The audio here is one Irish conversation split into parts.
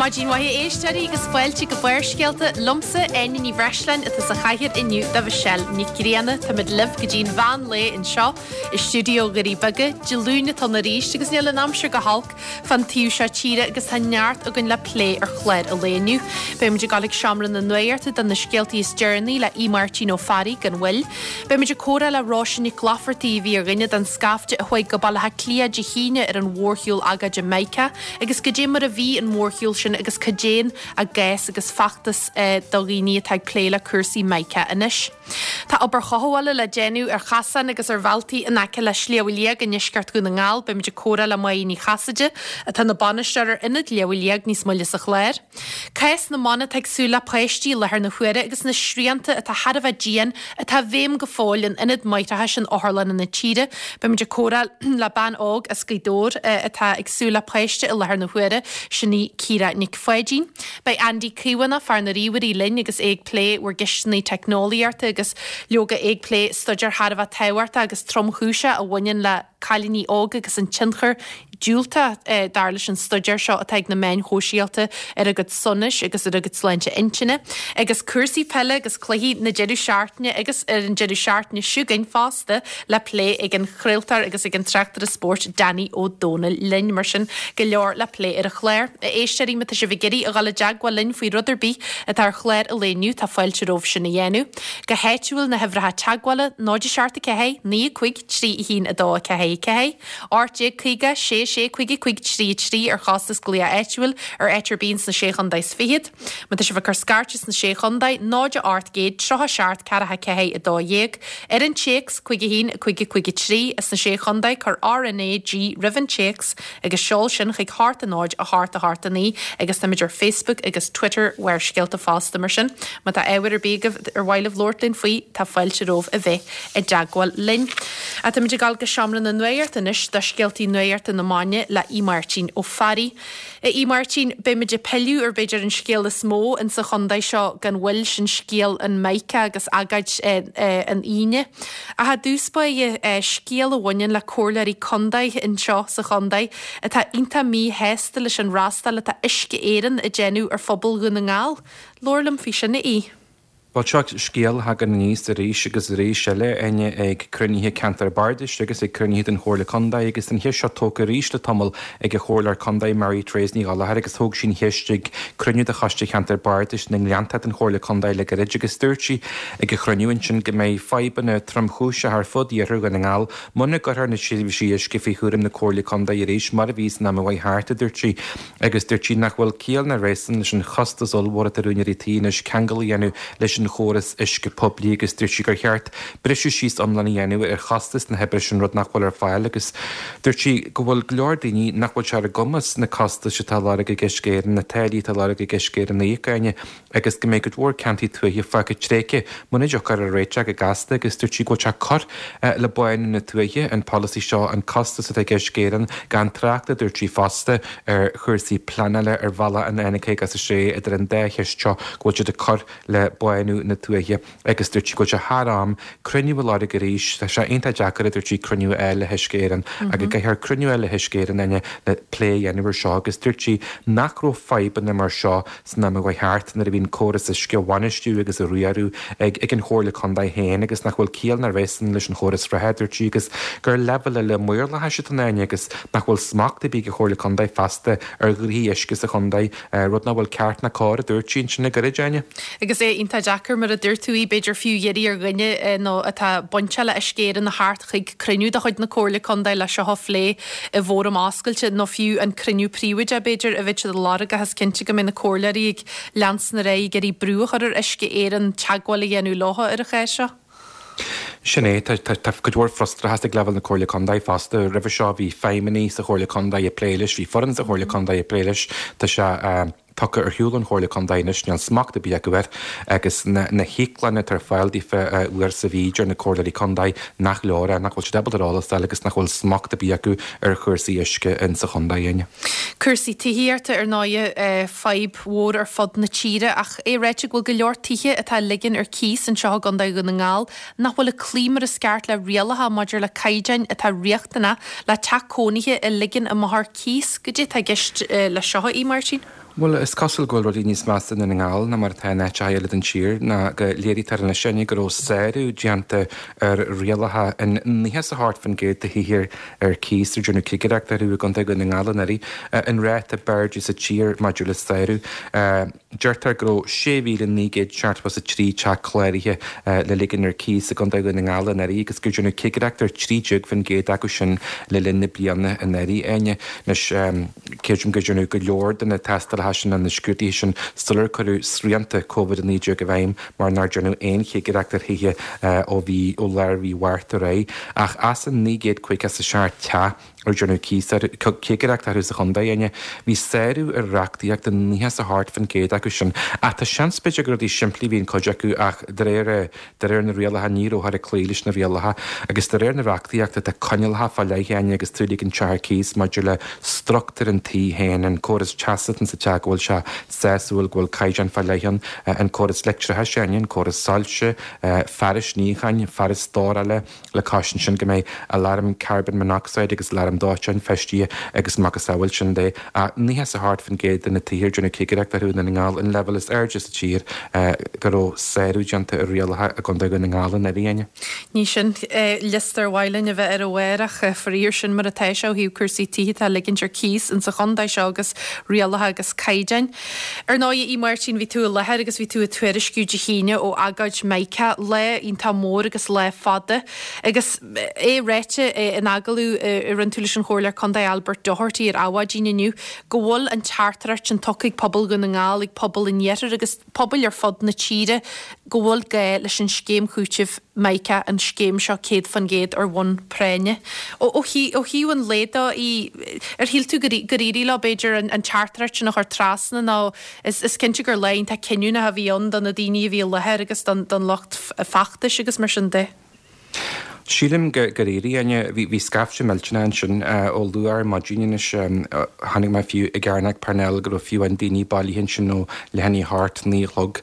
Maidin mhaith a éisteoirí agus fáilte go Barrscéalta liomsa, Áine Ní Bhreisleáin atá sa chathaoir inniu do Mhichelle Nic Grianna. Táimid libh go dtí an mheán lae anseo i stiúideo Dhoirí Beaga. Dé Luain atá ann arís agus níl an aimsir go holc fán taobh seo tíre agus tá neart againn le plé ar chlár an lae inniu. Beidh muid ag dul ag seomra na nuachta do na scéaltaí is deireanaí le Aodh Máirtín Ó Fearraigh gan mhoill. Beidh muid ag comhrá le Róise Nic Laifeartaigh a bhí ar dhuine den scaifte a chuaigh go Baile Átha Cliath Dé hAoine ar an mhórshiúl agóide Mica agus goidé mar a bhí an mórshiúl sin agus cad é a gcás agus feachtas do dhaoine atá ag plé le cúrsaí Mica anois. Tá obair chothabhála le déanamh ar chasáin agus ar bhealtaí in aice le Sliabh Liag i ndeisceart Dhún na nGall. Beidh muid ag comhrá le Máire Ní Chasaide atá ina bainisteoir ar Ionad Shliabh Liag níos moille sa chlár. Cás na mban atá ag súil le páistí i láthair na huaire agus na srianta atá thar a bheith dian atá i bhfeidhm go fóill in ionad máithreachais in otharlanna na tíre. Beidh muid ag comhrá le bean óg as Gaoth Dobhair atá ag súil le páiste i láthair na huaire, sin í Ciara Nic Pháidín. Beidh Andy Caomhánach, fear na ríomhairí linn agus é ag plé bhur gceisteanna teicneolaíochta agus leoga é ag plé staidéar thar a bheith tábhachtach agus tromchúiseach a bhaineann le cailíní óga agus an tionchar diúltach, dar leis an staidéar seo, atá ag na meáin shóisialta ar a gcuid sonais agus ar a gcuid sláinte intinne. Agus cúrsaí peile agus cluichí na deireadh seachtaine agus ar an deireadh seachtaine seo chugainn fosta le plé ag an chraoltóir agus ag an tráchtaire spóirt Danny Ó Dónaill linn. Mar sin, go leor le plé ar an chlár. A éisteoirí, má tá sibh ag iarraidh a dhul i dteagmháil linn faoi rud ar bith atá ar chlár an lae inniu, tá fáilte romhaibh sin a dhéanamh. Go háitiúil, na huimhreacha teagmhála, 0 7 4 9 5 3 1 2 4 4, 1850 6 6 5 5 3 3 ar chostas glaoch áitiúil ar áit ar bith ins na Sé Chontae is Fichead. Má tá sibh ag cur scairte sna Sé Chontae, 0 800 37 4 4 12. Ar an téacs, 5 1 5 5 3, sna Sé Chontae, cuir RnaG roimh an téacs agus seol sin chuig 8 0 8 8 9 agus táimid ar Facebook agus Twitter Bharrscéalta fosta mar sin má tá ábhar ar bith agaibh ar mhaith libh labhairt linn faoi tá fáilte romhaibh a bheith i dteagmháil linn. Ach táimid ag dul go seomra na nuachta anois do scéaltaí nuachta na maidine le Aodh Máirtín Ó Fearraigh. A Aodh Máirtín, beimid ag pilleadh ar b'fhéidir an scéal is mó insa chontae seo gan mhoill, sin scéal an Mica agus agóid an Aoine. Ach i dtús báire, scéal a bhaineann le comhairleoirí contae anseo sa chontae atá iontach míshásta leis an fhreastal atá Uisce Éireann ag déanamh ar phobal Dhún na nGall. Labhair liom faoi sin, a Aoidh. Bhuel, seo scéal a thagann aníos arís agus arís eile, Áine, ag cruinnithe ceantar bardais agus ag cruinnithe den Chomhairle Contae agus an cheist seo tógtha arís le tamall ag an Chomhairleoir Contae Mary Therese Ní Ghallchóir agus thóg sí an cheist ag cruinniú de Choiste Cheantar Bardais na nGleanntach den Chomhairle Contae le gairid agus dúirt sí ag an chruinniú ansin go mbeidh fadhbanna tromchúiseacha ar fud iarthar Dhún na nGall muna gcuirfear na seirbhísí uisce faoi chúram na Comhairle Contae arís mar a bhí san am a chuaigh thart, a dúirt sí. Agus dúirt sí nach bhfuil ciall ná réasún leis an chostas ollmhór atá ar úinéirí tí anois ceangal a dhéanamh leis an chóras uisce poiblí agus dúirt sí gur cheart briseadh síos iomlán a dhéanamh ar chostas na hoibre sin, rud nach bhfuil ar fáil agus dúirt sí go bhfuil go leor daoine nach bhfuil sé ar a gcumas na costais atá á lorg ag Uisce Éireann, na táillí atá á lorg ag Uisce Éireann a íoc, Áine. agus go mbeidh cuid mhór ceantair tuaithe fágtha tréigthe muna dtiocfar ar réiteach go gasta agus dúirt sí go bhfuil sé ag cur le bánú na tuaithe, an polasaí seo, an costas atá ag Uisce Éireann, gan trácht, a dúirt sí fosta, ar chúrsaí pleanála ar bhealach an N56 idir an dá cheist seo go bhfuil siad ag cur le bánú na tuaithe agus dúirt sí go bhfuil sé thar am cruinniú a lorg arís, tá sé iontach deacair, a dúirt sí, cruinniú a fháil le hUisce Éireann ach go gcaithfear cruinniú a fháil le hUisce Éireann, Áine, le plé a dhéanamh ar seo agus dúirt sí nach raibh fadhbanna mar seo san am a chuaigh thart nuair a bhí an córas uisce á bhainistiú agus á riaradh ag ag an Chomhairle Contae féin agus nach bhfuil ciall ná réasún leis an chóras reatha, a dúirt sí, agus gur leibhéal eile maorlathais atá ann, Áine, agus nach bhfuil smacht ar bith ag an Chomhairle Contae feasta ar ghnoithí uisce sa chontae, rud nach bhfuil ceart ná cóir, a dúirt sí ansin le gairid, Áine. Agus é iontach deacair, mar a dúirt tú, b'fhéidir fiú iarraidh ar dhuine nó atá bainteach le Uisce Éireann a theacht chuig cruinniú de chuid na Comhairle Contae le seo a phlé i bhfóram oscailte nó fiú an cruinniú príobháideach b'fhéidir a bheadh siad ag lorg ach is cinnte go mbeidh na comhairleoirí ag leanstan ar aghaidh ag iarraidh brú a chur ar Uisce Éireann teagmháil a dhéanamh leo ar an chás seo. Sin é, tá cuid mhór frustrachas ag leibhéal na Comhairle Contae fosta. Roimhe seo bhí feidhmeannaigh sa Chomhairle Contae ag plé leis, bhí foireann sa Chomhairle Contae ag plé leis. Tá sé tugtha ar shiúl ón Chomhairle Contae anois, níl smacht ar bith acu air agus na híoclanna atá ar fáil daofa uair sa mhí, deir na Comhairleoirí Contae nach leor é, nach bhfuil siad ábalta ar eolas a fháil agus nach bhfuil smacht ar bith acu ar chúrsaí uisce in sa chontae, Áine. Cúrsaí tithíochta, ar ndóighe, fadhb mhór ar fud na tíre ach é ráite go bhfuil go leor tithe atá á ligean ar cíos anseo i gContae Dhún na nGall nach bhfuil ag cloí mar is ceart le rialacha maidir le caighdeáin atá riachtanach le teach cónaithe a ligean amach ar cíos. Goidé atá i gceist leis seo, a Aodh Máirtín? Bhuel, is cosúil go bhfuil rudaí níos measa i nDún na nGall ná mar atá in áiteacha eile den tír, ná go léirítear anois Áine go raibh sárú déanta ar rialacha in 98% de thithe ar cíos ar déanadh cigireacht orthu i gContae Dhún na nGall anuraidh, an ráta b'airde sa tír maidir le sárú. Deirtear go raibh 6,973 teach cláraithe le ligean ar cíos i gContae Dhún na nGall anuraidh agus gur déanadh cigireacht ar 13% acu sin le linn na bliana anuraidh, Áine. Anois, Creidim gur déanadh go leor de na tástálacha sin nó na scrúduithe sin sular cuireadh srianta Covid-19 i bhfeidhm mar nár déanadh aon chigireacht ar thithe ó mhí ó lár mhí Mhárta ar aghaidh. Ach as an 957 teach ar déanadh cigireacht orthu sa chontae, Áine, bhí sárú ar reachtaíocht i 98% acu sin. Ach tá seans b'fhéidir gur rudaí simplí a bhí in cuid acu ach de réir De réir na rialacha, ní rabhthar ag cloí leis na rialacha, agus de réir na reachtaíochta, tá coinníollacha fá leith Áine agus tú ag ligean teach ar cíos maidir le struchtúr an tí féin, an córas teasa atá sa teach, go bhfuil sé sásúil, go bhfuil caighdeán fá leith ann, an córas leictreachais, Áine, an córas soilse, fearais níocháin, fearais stórála, le cois ansin go mbeidh aláram carbon monoxide agus aláram dóiteáin feistithe agus macasamhail sin de. Ach 98% de na tithe ar déanadh cigireacht orthu i nDún na nGall, an leibhéal is airde sa tír, go raibh sárú déanta ar rialacha i gContae Dhún na nGall anuraidh, Áine. Ní sin liosta ar mhaith linn a bheith air amárach, faraor sin mar atá sé ó thaobh cúrsaí tithe atá á ligint ar cíos insa chontae seo agus rialacha agus caighdeáin. Ar ndóigh, a Aodh Máirtín, bhí tú i láthair agus bhí tú ag tuairisciú Dé hAoine ó agóid Mica, lá iontach mór agus lá fada. Agus é ráite in agallamh a rinne tú leis an Chomhairleoir Contae Albert Doherty ar Adhmhaidin inniu go bhfuil an teachtaireacht sin tugtha ag pobal Dhún na nGall, ag pobal an Iarthair agus pobail ar fud na tíre go bhfuil gá leis an scéim chúitimh Mica, an scéim seo 100% ar bhonn práinne. Ó thaobh an lae de, ar shíl tú gur éirigh leo, b'fhéidir, an teachtaireacht sin a chur trasna nó is cinnte gur lá iontach cinniúnach a bhí ann do na daoine a bhí i láthair agus don lucht feachtais agus mar sin de. Sílim gur éirigh, Áine. Bhí scaifte millteanach ansin ó luath ar maidin anois. Chonaic mé fiú i gCearnóg Parnell go raibh fiú amháin daoine bailithe ansin ó leath i ndiaidh a hocht, 9 a chlog,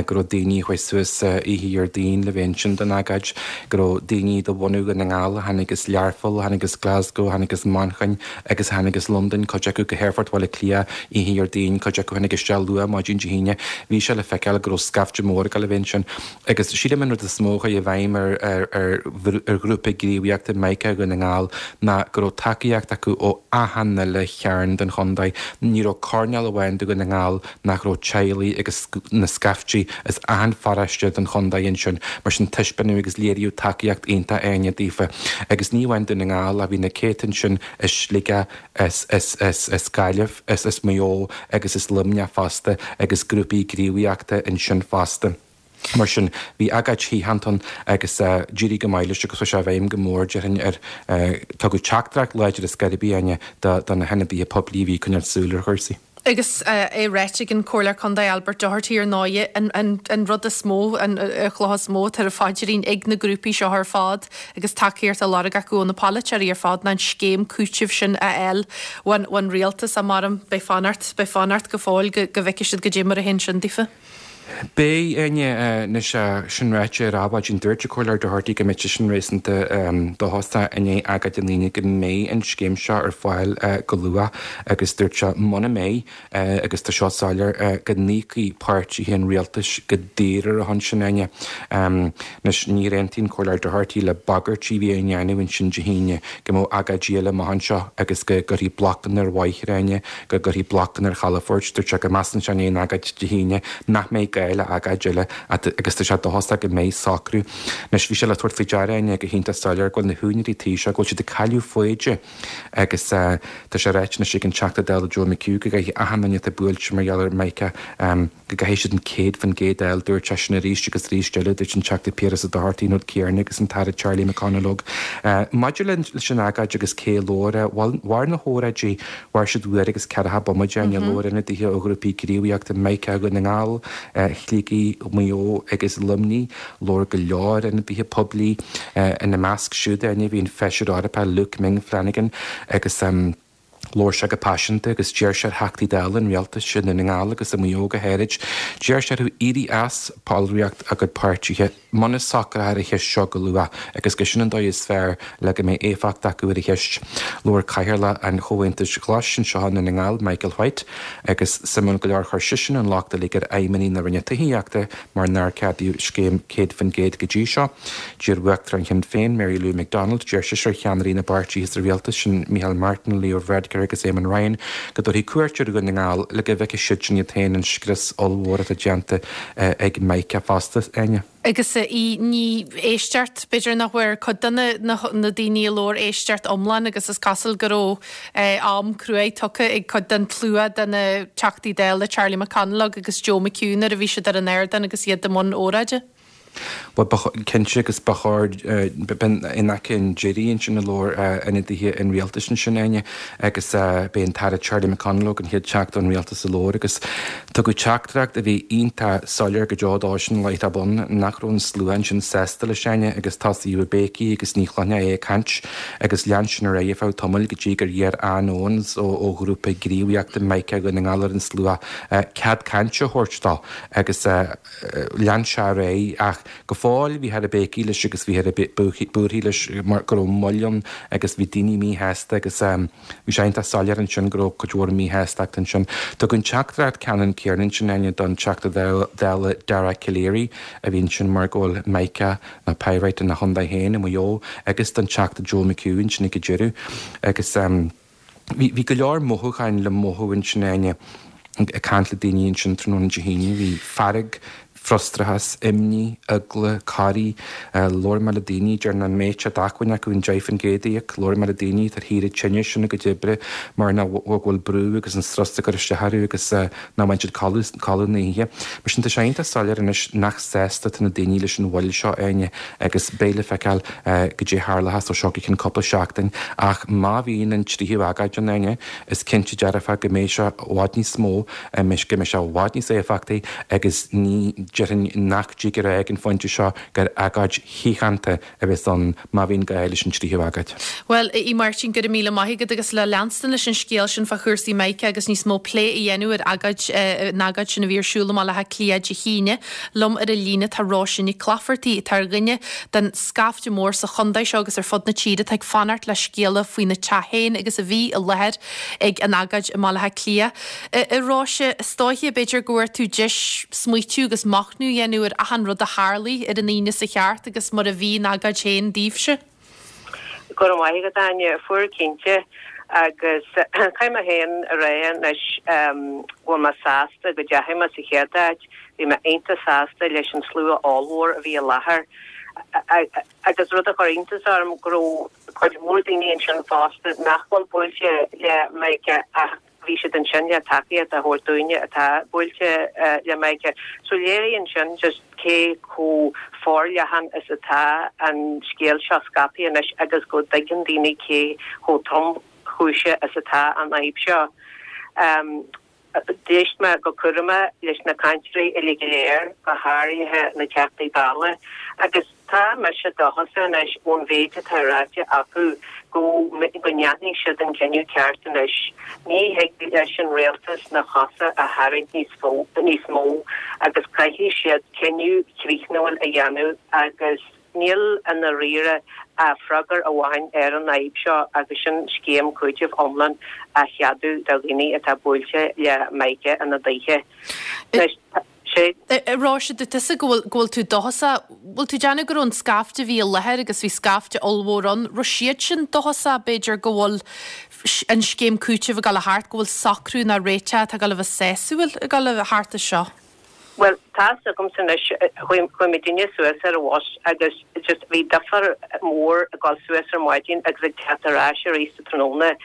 go raibh daoine a chuaigh suas oíche Dhéardaoin le bheith ansin don agóid, go raibh daoine de bhunadh Dhún na nGall a tháinig as Learpholl, a tháinig as Glasgow, a tháinig as Manchain agus a tháinig as Londain, cuid acu go hAerfort Bhaile Átha Cliath oíche Dhéardaoin, cuid acu a tháinig isteach luath maidin Dé hAoine. Bhí sé le feiceáil go raibh scaifte mór ag dul a bheith ansin. Agus sílim an rud is mó a chuaigh i bhfeidhm ar ghrúpa gníomhaíochta Mica Dhún na nGall ná go raibh tacaíocht acu ó achan uile chearn den chontae. Ní raibh coirnéal amháin de Dhún na nGall nach raibh teaghlaigh agus na scaiftí as achan pharóiste den chontae ansin. Mar sin taispeánadh agus léiríodh tacaíocht iontach Áine daofa. Agus ní amháin Dún na nGall ach bhí na céadta ansin as Sligeach, as as Gaillimh, as as Maigh Eo agus as Luimneach fosta agus grúpaí gníomhaíochta ansin fosta. Mar sin, bhí agóid shaothanta ann agus d'éirigh go maith leis agus chuaigh sé i bhfeidhm go mór, déarfainn, ar tugadh teachtaireacht láidir ar scor ar bith, Áine, do na hionadaithe poiblí a bhí ag coinneáil súil ar chúrsaí. Agus é ráite ag an Comhairleoir Contae Albert Doherty ar ndóighe, an rud is mó, an chloch is mó atá ar a phaidrín ag na grúpaí seo ar fad agus tacaíocht á lorg acu ó na polaiteoirí ar fad ná an scéim cúitimh sin a fháil ón rialtas. Ach maram, beidh fanacht, beidh fanacht go fóill go bhfeicfidh siad goidé mar a théann sin daofa. Beidh, Áine, anois sin ráite ar Adhmhaidin dúirt an Comhairleoir Doherty go mbeadh seisean réasúnta dóchasach i ndiaidh agóid na hAoine go mbeidh an scéim seo ar fáil go luath agus dúirt sé muna mbeidh, agus tá seo soiléir, go n-íocfaidh páirtithe an rialtais go daor ar a shon sin, Áine. Anois níor aontaigh an Comhairleoir Doherty le bagairtí a bhí á ndéanamh ansin Dé hAoine go mbeadh agóidí eile amach anseo agus go gcuirfí blocanna ar bhóithre, Áine. go gcuirfí blocanna ar chalafoirt. Dúirt sé go measann sé i ndiaidh an agóid Dé hAoine nach mbeidh gá le agóid eile agus tá sé dóchasach go mbeidh socrú. Anois bhí sé le tabhairt faoi deara Áine go hiontach soiléir go bhfuil na húinéirí tí seo, go bhfuil siad ag cailleadh foighde agus tá sé ráite anois ag an Teachta Dála Joe McHugh go gcaithfidh achan duine atá buailte mar gheall ar Mica go gcaithfidh siad an 100% a fháil. Dúirt sé sin arís agus arís eile, dúirt an Teachta Piaras Ó Dochartaigh an rud céanna agus an tAire Charlie McConalogue. Maidir leis an agóid agus cé a labhair, bhuel, mhair na hóráidí, mhair siad uair agus ceathracha bomaite, labhair ionadaithe ó ghrúpaí gníomhaíochta Mica Dhún na nGall, Shligigh, Mhaigh Eo agus Luimnigh. Labhair go leor ionadaithe poiblí ina measc siúd, bhí an Feisire Eorpach Luke Ming Flanagan agus. Labhair sé go paiseanta agus d'iarr sé ar Theachtaí Dála an Rialtais i nDún na nGall agus i Maigh Eo go háirid, d'iarr sé orthu éirí as ballraíocht a gcuid páirtithe muna socrófar an cheist seo go luath agus gur sin an dóigh is fearr le go mbeidh éifeacht acu ar an cheist. Labhair Cathaoirleach an Chomhaontais Ghlais anseo i nDún na nGall, Michael White, agus suimiúil go leor chuir seisean an locht uilig ar fheidhmeannaigh na Roinne Tithíochta mar nár ceadaíodh scéim 100% go dtí seo. D'iarr Uachtarán Shinn Féin, Mary Lou McDonald, d'iarr sise ar cheannairí na bpáirtithe sa rialtas, sin Micheál Martin, Leo Varadkar agus Eamon Ryan, go dtabharfaí cuairt ar Dhún na nGall le go bhfeicfeadh siadsan iad féin an scrios ollmhór atá déanta ag Mica fosta. Áine. Agus í ní éisteacht, b'fhéidir nach bhfuair cuid de na daoine a labhair éisteacht iomlán agus is cosúil go raibh am cruaidh tugtha ag cuid den tslua de na Teachtaí Dála Charlie McConalogue agus Joe McHugh nuair a bhí siad ar an ardán agus iad i mbun óráide. Bhuel, ba cinnte agus ba chóir, b'in in aice an deiridh ansin a labhair ionadaithe an rialtais ansin, Áine, agus b'é an tAire Charlie McConalogue an chéad Teachta ón Rialtas a labhair agus tugadh teachtaireacht a bhí iontach soiléir go deo dósan láithreach bonn nach raibh an slua ansin sásta leis, Áine, agus tosaíodh ag béicigh agus ní chluinfeá é ag caint agus lean sin ar aghaidh ar feadh tamaill go dtí gur iarr Ann Owens ó ghrúpa gníomhaíochta Mica Dhún na nGall ar an slua cead cainte a thabhairt dó agus Lean sé ar aghaidh ach go fóill bhíthear ag béicigh leis agus bhíthear ag búirthigh leis mar go raibh moill ann agus bhí daoine míshásta agus bhí sé iontach soiléir ansin go raibh cuid mhór míshástachta ansin. Tugadh an teachtaireacht ceannann céanna ansin, Áine, don Teachta Dála Dara Calleary a bhí ansin mar go bhfuil Mica nó Pyrite ina chontae féin i Maigh Eo agus don Teachta Joe McHugh ansin ag an deireadh agus. Bhí go leor mothúcháin le mothú ansin, Áine, ag caint le daoine ansin tráthnóna Dé hAoine. Bhí fearg, frustrachas, imní, eagla, corraí. Labhair mé le daoine, deir nach mbeadh sé d'acmhainn acu an 10% a íoc. Labhair mé le daoine atá ar shaoire tinnis óna gcuid oibre mar nach go bhfuil brú agus an strus ag cur isteach orthu agus nach mbain siad codladh na hoíche. Mar sin tá sé iontach soiléir anois nach sásta atá na daoine leis an mhoill seo, Áine, agus beidh le feiceáil goidé a tharlóchas ó seo go ceann cúpla seachtain. Ach má bhíonn an tríú agóid ann, Áine, is cinnte dearfa go mbeidh sé i bhfad níos mó, go mbeidh sé i bhfad níos éifeachtaí agus ní déarfainn nach dtig a rá ag an phointe seo gur agóid shíochánta a bheas ann má bhíonn gá leis an tríú agóid. Bhuel, a Mháirtín, go raibh míle maith agat agus le leanstan leis an scéal sin fá chúrsaí Mica agus níos mó plé a dhéanamh ar agóid, an agóid sin a bhí ar siúl i mBaile Átha Cliath Dé hAoine. Liom ar an líne tá Róise Nic Laifeartaigh, atá ar dhuine den scaifte mór sa chontae seo agus ar fud na tíre atá ag fanacht le scéala faoina teach féin agus a bhí i láthair ag an agóid i mBaile Átha Cliath. A Róise, is dóiche, b'fhéidir go bhfuair tú deis smaoitiú agus machnamh a dhéanamh ar achan rud a tharlaigh ar an Aoine seo thart agus mar a bhí an agóid féin daoibhse. Go raibh maith agat, Áine. Fuair cinnte. Agus caithfidh mé féin a rá anois go bhfuil mé sásta go dteachaigh mé sa chéad áit. Bhí mé iontach sásta leis an slua ollmhór a bhí i láthair. Agus rud a chuir iontas orm go raibh cuid mhór daoine ansin fosta nach bhfuil buailte le Mica ach bhí siad ansin le tacaíocht a thabhairt dúinne atá buailte le Mica. So léiríonn sin just cé chomh forleathan is atá an scéal seo scaipthe anois agus go dtuigeann daoine cé chomh tromchúiseach is atá an fhadhb seo. D'éist mé go cúramach leis na cainteoirí uilig go léir, go háirithe na Teachtaí Dála, agus tá mise dóchasach anois ón mhéid atá ráite acu go go ndéanfaidh siad an cinneadh ceart anois. Ní thig leis an rialtas na cosa a tharraingt níos mó agus caithfidh siad cinneadh críochnúil a dhéanamh agus Níl i ndáiríre ach freagra amháin ar an fhadhb seo agus sin scéim cúitimh iomlán a cheadú do dhaoine atá buailte le Mica ina dtithe. Anois, sé. A Róise, dúirt tusa go bhfuil, go bhfuil tú dóchasach. Bhfuil tú ag déanamh go raibh an scaifte a bhí i láthair agus bhí scaifte ollmhór ann, raibh siad sin dóchasach b'fhéidir go bhfuil an scéim cúitimh ag dul a theacht, go bhfuil socrú nó réiteach atá ag dul a bheith sásúil ag dul a theacht as seo? Bhuel, tá a fhios agamsa anois, chuaigh muidinne suas ar an bhus agus just bhí difear mór ag dul suas ar maidin agus ag teacht ar ais arís sa tráthnóna.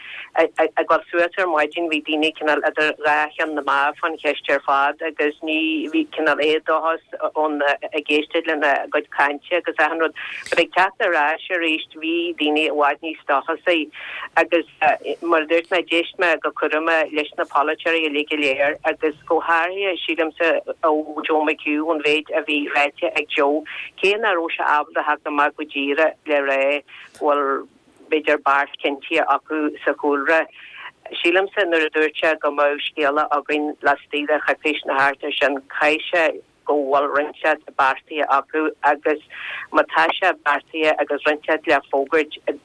Ag dul suas ar maidin bhí daoine cineál idir dhá cheann na meá fán cheist ar fad agus ní, bhí cineál éadóchas ann ag éisteacht lena gcuid cainte agus achan rud. But ag teacht ar ais arís bhí daoine i bhfad níos dóchasaí agus. Mar a dúirt mé, d'éist mé go cúramach leis na polaiteoirí uilig go léir agus go háirithe, sílimse, ó Joe McHugh, ón mhéid a bhí ráite ag Joe, cé nach raibh sé ábalta theacht amach go díreach le rá go bhfuil, b'fhéidir, beart cinntithe acu sa chúlra. Sílimse nuair a dúirt sé go mbeadh scéala againn laistigh de choicís nó thart ar sin, caithfidh sé go bhfuil rud inteacht beartaithe acu agus má tá sé beartaithe agus rud inteacht le fógairt i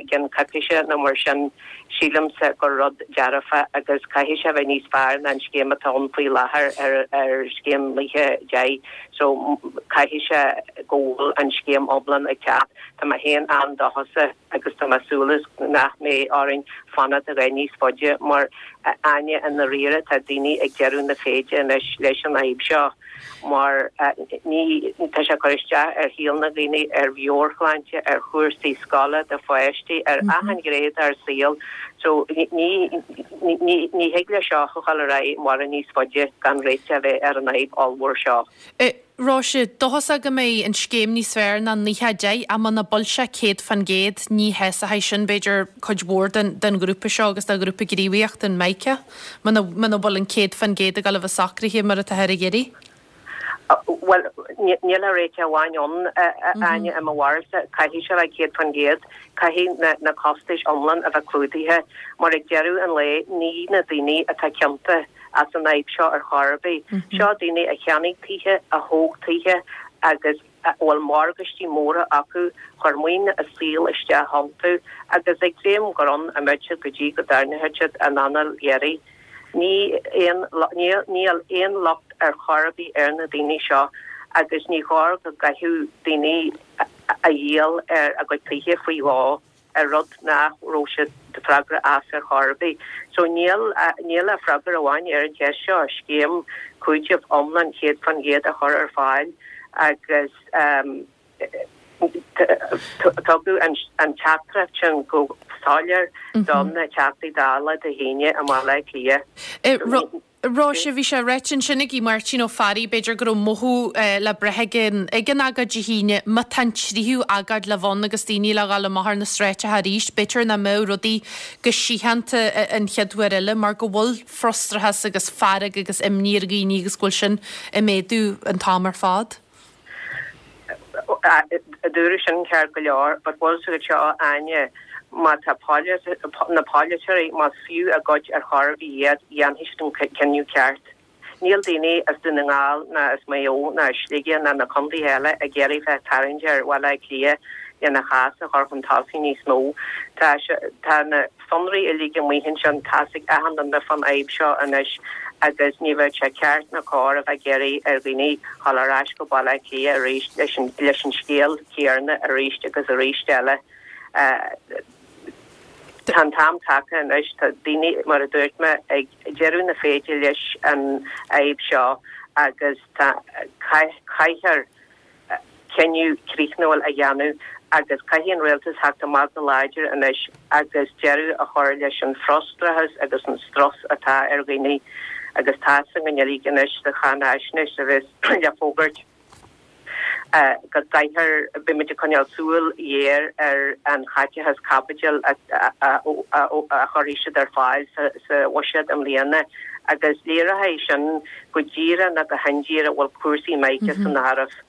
gceann coicíse nó mar sin, sílimse gur rud dearfach agus caithfidh sé bheith níos fearr ná an scéim atá ann faoi láthair ar ar scéim 90 so caithfidh sé go bhfuil an scéim iomlán ag teacht. Tá mé féin an-dóchasach agus tá mé ag súil nach mbeidh orainn fanacht a dhath níos faide mar a Áine i ndáiríre tá daoine ag deireadh na féide anois leis an fhadhb seo mar ní tá sé ag cur isteach ar shaol na ndaoine, ar mheabhairshláinte, ar chúrsaí scoile do pháistí, ar achan ghné dár saol so ní ní ní thig le seo a dhul ar aghaidh mórán níos faide gan réiteach a bheith ar an fhadhb ollmhór seo. Róise, dóchasach go mbeidh an scéim níos fearr ná 90, 10 ach muna bhfuil sé 100%, ní shásóidh sin, b'fhéidir, cuid mhór den den ghrúpa seo agus de ghrúpa gníomhaíochta an MICA, muna muna bhfuil an 100% ag dul a bheith socraithe mar atáthar ag iarraidh. Bhuel, níl ach réiteach amháin ann, a Áine, i mo bharúilsa, caithfidh sé a bheith 100%, caithfidh na na costais iomlán a bheith clúdaithe, mar ag deireadh an lae ní na daoine atá ciontach, as an fhadhb seo ar chor ar bith. Seo daoine a cheannaigh tithe, a thóg tithe agus a bhfuil morgáistí móra acu, chuir maoin a saoil isteach iontu agus ag dréim gur ann a mbeidh siad go dtí go dtarraingeoidh siad a n-anáil dheiridh. Ní aon, níl aon locht ar chor ar bith ar na daoine seo agus ní chóir go gcaithfeadh daoine a dhíol ar a gcuid tithe faoi dhó. ar rud nach raibh siad freagrach as ar chor ar bith. So níl, níl ach freagra amháin ar an cheist seo, scéim cúitimh iomlán 100% a chur ar fáil agus tugadh an teachtaireacht sin go soiléir do na Teachtaí Dála Dé hAoine i mBaile Átha Cliath. Róise, bhí sé ráite ansin ag Máirtín Ó Fearraigh, b'fhéidir go raibh mothú le brath ag an ag an agóid Dé hAoine, má tá an tríú agóid le bheith ann agus daoine le dhul amach ar na sráideacha arís, b'fhéidir nach mbeadh rudaí go síochánta an chéad uair eile mar go bhfuil frustrachas agus fearg agus imní ar dhaoine agus go bhfuil sin ag méadú an t-am ar fad. Dúradh sin ceart go leor, but bhfuil a fhios agat seo a Áine, má tá na polaiteoirí, más fiú a gcuid ar chor ar bith iad, dhéanfaidh siad an cinneadh ceart. Níl daoine as Dún na nGall ná as Maigh Eo ná as Sligeach ná na contaetha eile ag iarraidh bheith tarraingt ar Bhaile Átha Cliath lena chás a chur chun tosaigh níos mó. Tá tá na sonraí uilig amuigh ansin, tá's ag achan duine fán fhadhb seo anois agus ní bheadh sé ceart ná cóir a bheith ag iarraidh ar dhaoine dhul ar ais go Baile Átha Cliath arís leis an leis an scéal céarna arís agus arís eile. Tá an t-am tagtha anois, tá daoine, mar a dúirt mé, ag deireadh na féide leis an fhadhb seo agus tá caithfear cinneadh críochnúil a dhéanamh agus caithfidh an rialtas theacht amach go láidir anois agus deireadh a chur leis an frustrachas agus an strus atá ar dhaoine agus tá's againn uilig anois sa cháinaisnéis a bheas le fógairt go gcaithfear, beidh muid ag coinneáil súil ghéar ar an chaiteachas caipitil a chuirfidh siad ar fáil sa bhuiséad i mbliana agus léireoidh sin go díreach nó go hindíreach bhfuil cúrsaí MICA san áireamh.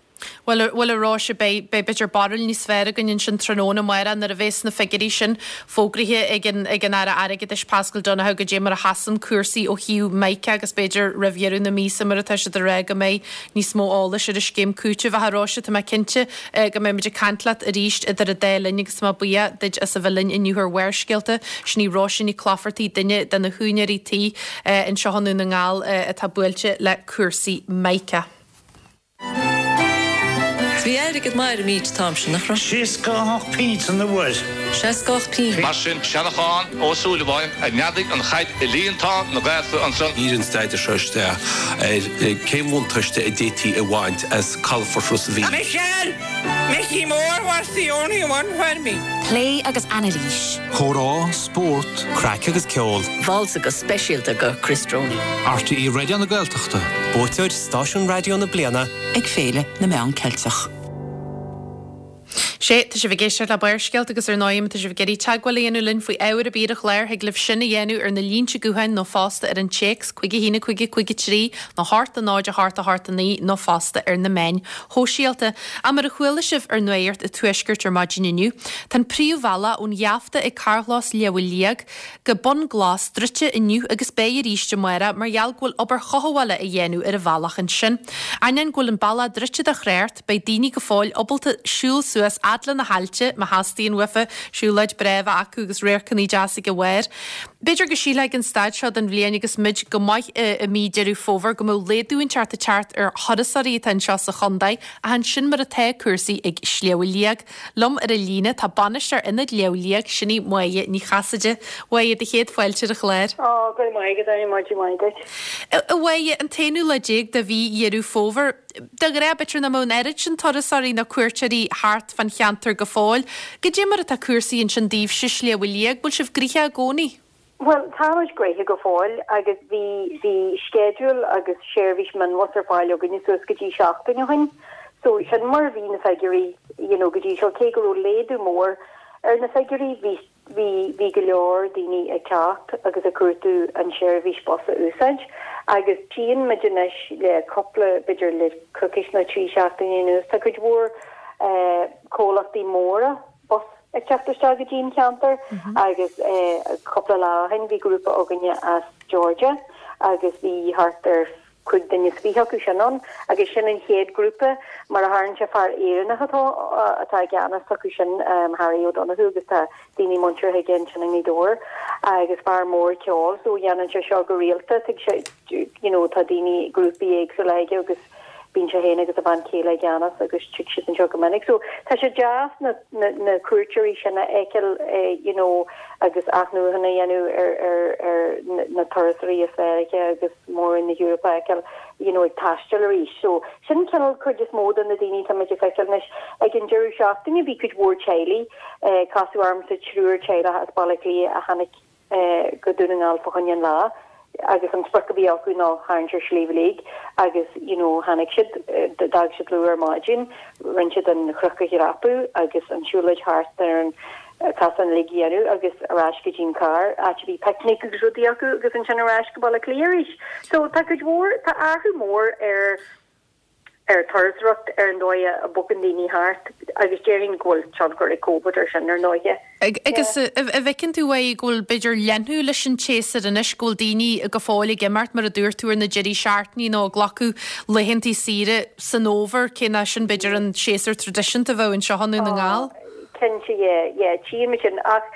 Bhuel, bhuel a Róise, beidh, beidh b'fhéidir barúil níos fearr againn ansin tráthnóna amárach nuair a bheas na figiúirí sin fógraithe ag an, ag an Aire Airgeadais Paschal Donohoe goidé mar a sheasann cúrsaí ó thaobh MICA agus b'fhéidir roimh dheireadh na míosa mar atá siad ag rá go mbeidh níos mó eolais ar an scéim cúitimh. Ach a Róise, tá mé cinnte go mbeidh muid ag caint leat arís idir an dá linn agus tá mé buíoch duit as a bheith linn inniu ar Bharrscéalta. Sin í Róise Ní Chlochartaigh, duine de na húinéirí tí anseo i nDún na nGall atá buailte le cúrsaí MICA. Bhí airgead maith ar an méid an t-am sin, nach raibh? 68 pint an uair. 68 pint. Mar sin, Seanachán Ó Súilleabháin a neadaigh an chaid i líontán na Gaeltachta ansan. Dhírigh an staidéar seo isteach ar cén bhuntáiste a d'fhéadfaí a bhaint as calafort Ros a' Mhíl. Michelle! Micí Mór was the only one for me. Plé agus anailís. Comhrá, spórt, Craic agus ceol. Válsa go speisialta go Chris Droney. RTÉ Raidió na Gaeltachta. Buaiteoir Stáisiún Raidió na Bliana. Ag Féile na Meán Ceilteach. Sea, tá sibh ag éisteacht le Barrscéalta agus ar ndóigh má tá sibh ag iarraidh teagmháil a dhéanamh linn faoi ábhar ar bith ar an chlár, thig libh sin a dhéanamh ar na línte gutháin nó fosta ar an téacs 5 1 5 5 3 nó 8 0 8 8 9 nó fosta ar na meáin shóisialta. Ach mar a chuala sibh ar Nuacht an Tuaiscirt ar maidin inniu, tá an príomhbhealach ón gheafta ag carrchlós Shliabh Liag go Bun Glas druidte inniu agus beidh arís amárach mar gheall go bhfuil obair chothabhála á dhéanamh ar an bhealach ansin. Ainneoin go bhfuil an bealach druidte do thrácht, beidh daoine go fóill ábalta siúl suas fhad le na haillte má theastaíonn uafa, siúlóid breá a bheith acu agus radharcanna deas ag a bharr. B'fhéidir go sílfeá ag an staid seo den bhliain agus muid go maith i mí Deireadh Fómhair go mbeadh laghdú inteacht ag teacht ar thurasóirí atá anseo sa chontae ach an sin mar atá cúrsaí ag Sliabh Liag. Liom ar an líne tá bainisteoir Ionad Shliabh Liag, sin í Máire Ní Chasaide. Mháire, do chéad fáilte ar an chlár. Ó, go raibh maith agat, Áine, maidin mhaith duit. A Mháire, an t-aonú lá déag de mhí Dheireadh Fómhair, de ghnáth b'fhéidir nach mbeadh an oiread sin turasóirí nó cuairteoirí thart fán cheantar go fóill. Goidé mar atá cúrsaí ansin daoibhse i Sliabh Liag, bhfuil sibh gnoitheach i gcónaí? Bhuel, tá muid gnoitheach go fóill agus bhí, bhí sceideal agus seirbhís mionbhus ar fáil againne suas go dtí seachtain ó shin. So, sin mar a bhí na figiúirí, you know, go dtí seo, cé go raibh laghdú mór ar na figiúirí, bhí, bhí, bhí go leor daoine ag teacht agus ag cuartú an seirbhís bus a úsáid agus tchíonn muid anois le cúpla, b'fhéidir le coicís nó 3 seachtaine anuas, tá cuid mhór eh comhlachtaí móra, bus ag teacht isteach go dtí an cheantar agus cúpla lá ó shin bhí grúpa againne as Georgia agus bhí thart ar chúig duine is fiche acu sin ann agus sin an chéad grúpa mar a tharlaíonn sé fear Éireannach atá atá i gceannas acu sin Harry O'Donoghue agus tá daoine muinteartha aige ansin i nGaoth Dobhair agus fear mór ceoil so dhéanann sé seo go rialta tig sé you know tá daoine grúpaí éagsúla aige agus Bíonn sé féin agus a bhean chéile i gceannas agus tig siad anseo go minic. So tá sé deas na na na cuairteoirí sin a fheiceáil you know agus athnuachan a dhéanamh ar ar ar na turasóirí as Meiriceá agus Mór-Roinn na hEorpa a fheiceáil you know ag taisteal arís. So sin cineál cuid is mó de na daoine atá muid ag feiceáil anois. Ag an deireadh seachtaine bhí cuid mhór teaghlaigh, casadh ormsa triúr teaghlach as Baile Átha Cliath a tháinig go Dún na nGall fá choinne an lá agus an sprioc a bhí acu ná tharraingt ar Shliabh Liag agus you know tháinig siad, d'fhág siad luath ar maidin, rinne siad an chnoc a dhreapadh agus an siúlóid thart ar an casán uilig a dhéanamh agus ar ais go dtí an carr, áit a bhí picnic agus rudaí acu agus ansin ar ais go Baile Átha Cliath arís. So tá cuid mhór, tá athrú mór ar ar turasóireacht, ar an dóigh a bogann daoine thart agus déarfainn go bhfuil tionchar ag Covid ar sin ar ndóighe. Agus an bhfeiceann tú uaidh go bhfuil b'fhéidir leathnú leis an tséasúr anois, go bhfuil daoine go fóill ag imeacht mar a dúirt tú ar na deirí seachtainí nó ag glacadh laethantaí saoire san fhómhar, cé nach sin b'fhéidir an séasúr traidisiúnta a bheadh anseo i nDún na nGall? Cinnte, yeah, yeah, tchíonn muid sin ach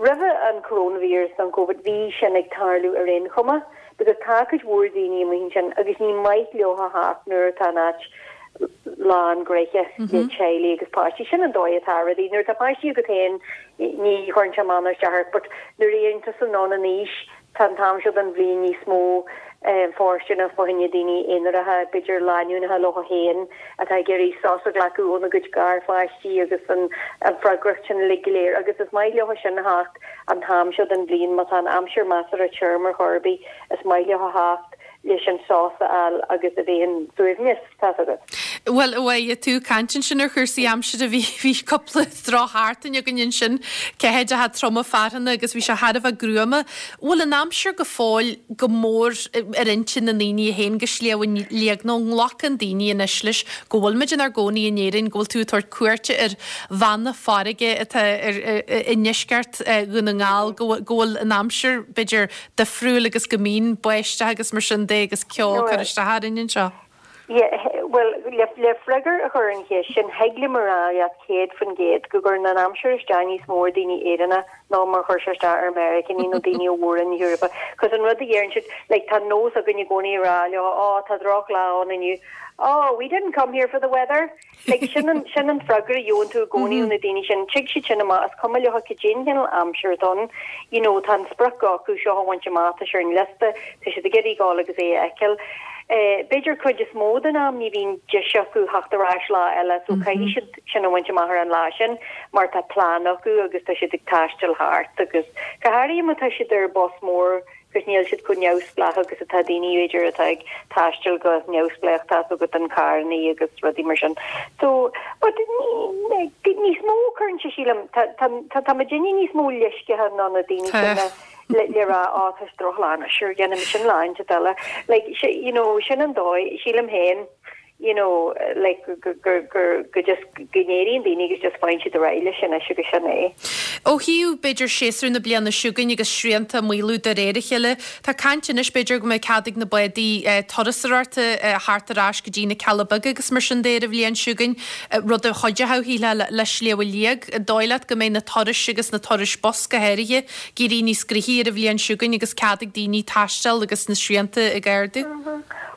roimhe an coronavirus nó an Covid bhí sin ag tarlú ar aon chuma. Because tá cuid mhór daoine amuigh ansin agus ní maith leo a theacht nuair atá an áit lán gnoitheach le teaghlaigh agus páistí. Sin an dóigh atá rudaí. Nuair atá páistí agat féin ní chuireann sé amach ná isteach ort but nuair a éiríonn tusa anonn in aois tá an t-am seo den bhliain níos mó fóirsteanach fá choinne daoine aonaracha, b'fhéidir lánúineacha leo féin atá ag iarraidh sos a ghlacadh óna gcuid garpháistí agus an freagracht sin uilig go léir agus is maith leo sin a theacht An t-am seo den bhliain, má tá an aimsir measartha tirim ar chor ar bith, is maith leo a theacht leis an sos a fháil agus a bheith in suaimhneas, tá's agat. Bhuel, a Mháire, tú ag caint ansin ar chúrsaí aimsire, bhí, bhí cúpla drochsheachtain againn ansin, ceathaideacha troma fearthanna agus bhí sé thar a bheith gruama. Bhfuil an aimsir go fóill go mór ar intinn na ndaoine a théann go Sliabh Liag nó an nglacann daoine anois leis go bhfuil muid inár gcónaí in Éirinn, go bhfuil tú ag tabhairt cuairte ar bhanna farraige atá i ndeisceart Dhún na nGall, go bhfuil an aimsir, b'fhéidir, difriúil agus go mbíonn báisteach agus mar sin de agus ceo ag cur isteach orainn anseo. Yeah, bhuel, le freagra a chur ar an cheist sin, thig liom a rá leat 100% go gcuireann an aimsir isteach níos mó ar daoine Éireannacha ná mar chuir sé isteach ar Meiriceánaigh nó daoine ó Mhór-Roinn na hEorpa. Cos an rud a deireann siad, like, tá nós againn i gcónaí a rá leo, oh, tá drochlá ann inniu. Oh, we didn't come here for the weather. Like, sin an, sin an freagra a gheobhann tú i gcónaí ó na daoine sin. Tig siad sin amach, is cuma leo cad é an cineál aimsir atá ann. You know, tá an sprioc acu seo a bhaint amach, tá sé ar an liosta, tá siad ag iarraidh dul agus é a fheiceáil. Eh, b'fhéidir cuid is mó den am ní bhíonn deis acu theacht ar ais lá eile so caithfidh siad sin a bhaint amach ar an lá sin mar tá plean acu agus tá siad ag taisteal thart agus go háirithe má tá siad ar bus mór. 'cause níl siad chomh neamhspleách agus atá daoine b'fhéidir atá ag taisteal go neamhspleách tá 'fhios agat an carrannaí agus rudaí mar sin. So, but ní, níos mó cuireann sé sílim, tá, tá, tá, tá muidinne níos mó leisceacha ná na daoine sin le, le, le rá, á, tá sé drochlá anois, sure, dhéanfaimid sin lá inteacht eile. Like, you know, sin an dóigh, sílim féin, you know, like, gur, gur, gur, go just, go n-éiríonn daoine agus just faigheann siad ar aghaidh leis anois agus sin é. Ó thaobh, b'fhéidir, séasúr na bliana seo chugainn agus srianta ag maolú de réir a chéile, tá caint anois, b'fhéidir, go mbeidh cead ag na bádaí turasóireachta theacht ar ais go dtí na Cealla Beaga agus mar sin de ar an bhliain seo chugainn, rud a chuideochadh, shílfeá, le Sliabh Liag. An dóigh leat go mbeidh na turais agus na turais bus go háirithe ag éirí níos gnoithí ar an bhliain seo chugainn agus cead ag daoine taisteal agus na srianta ag ardú?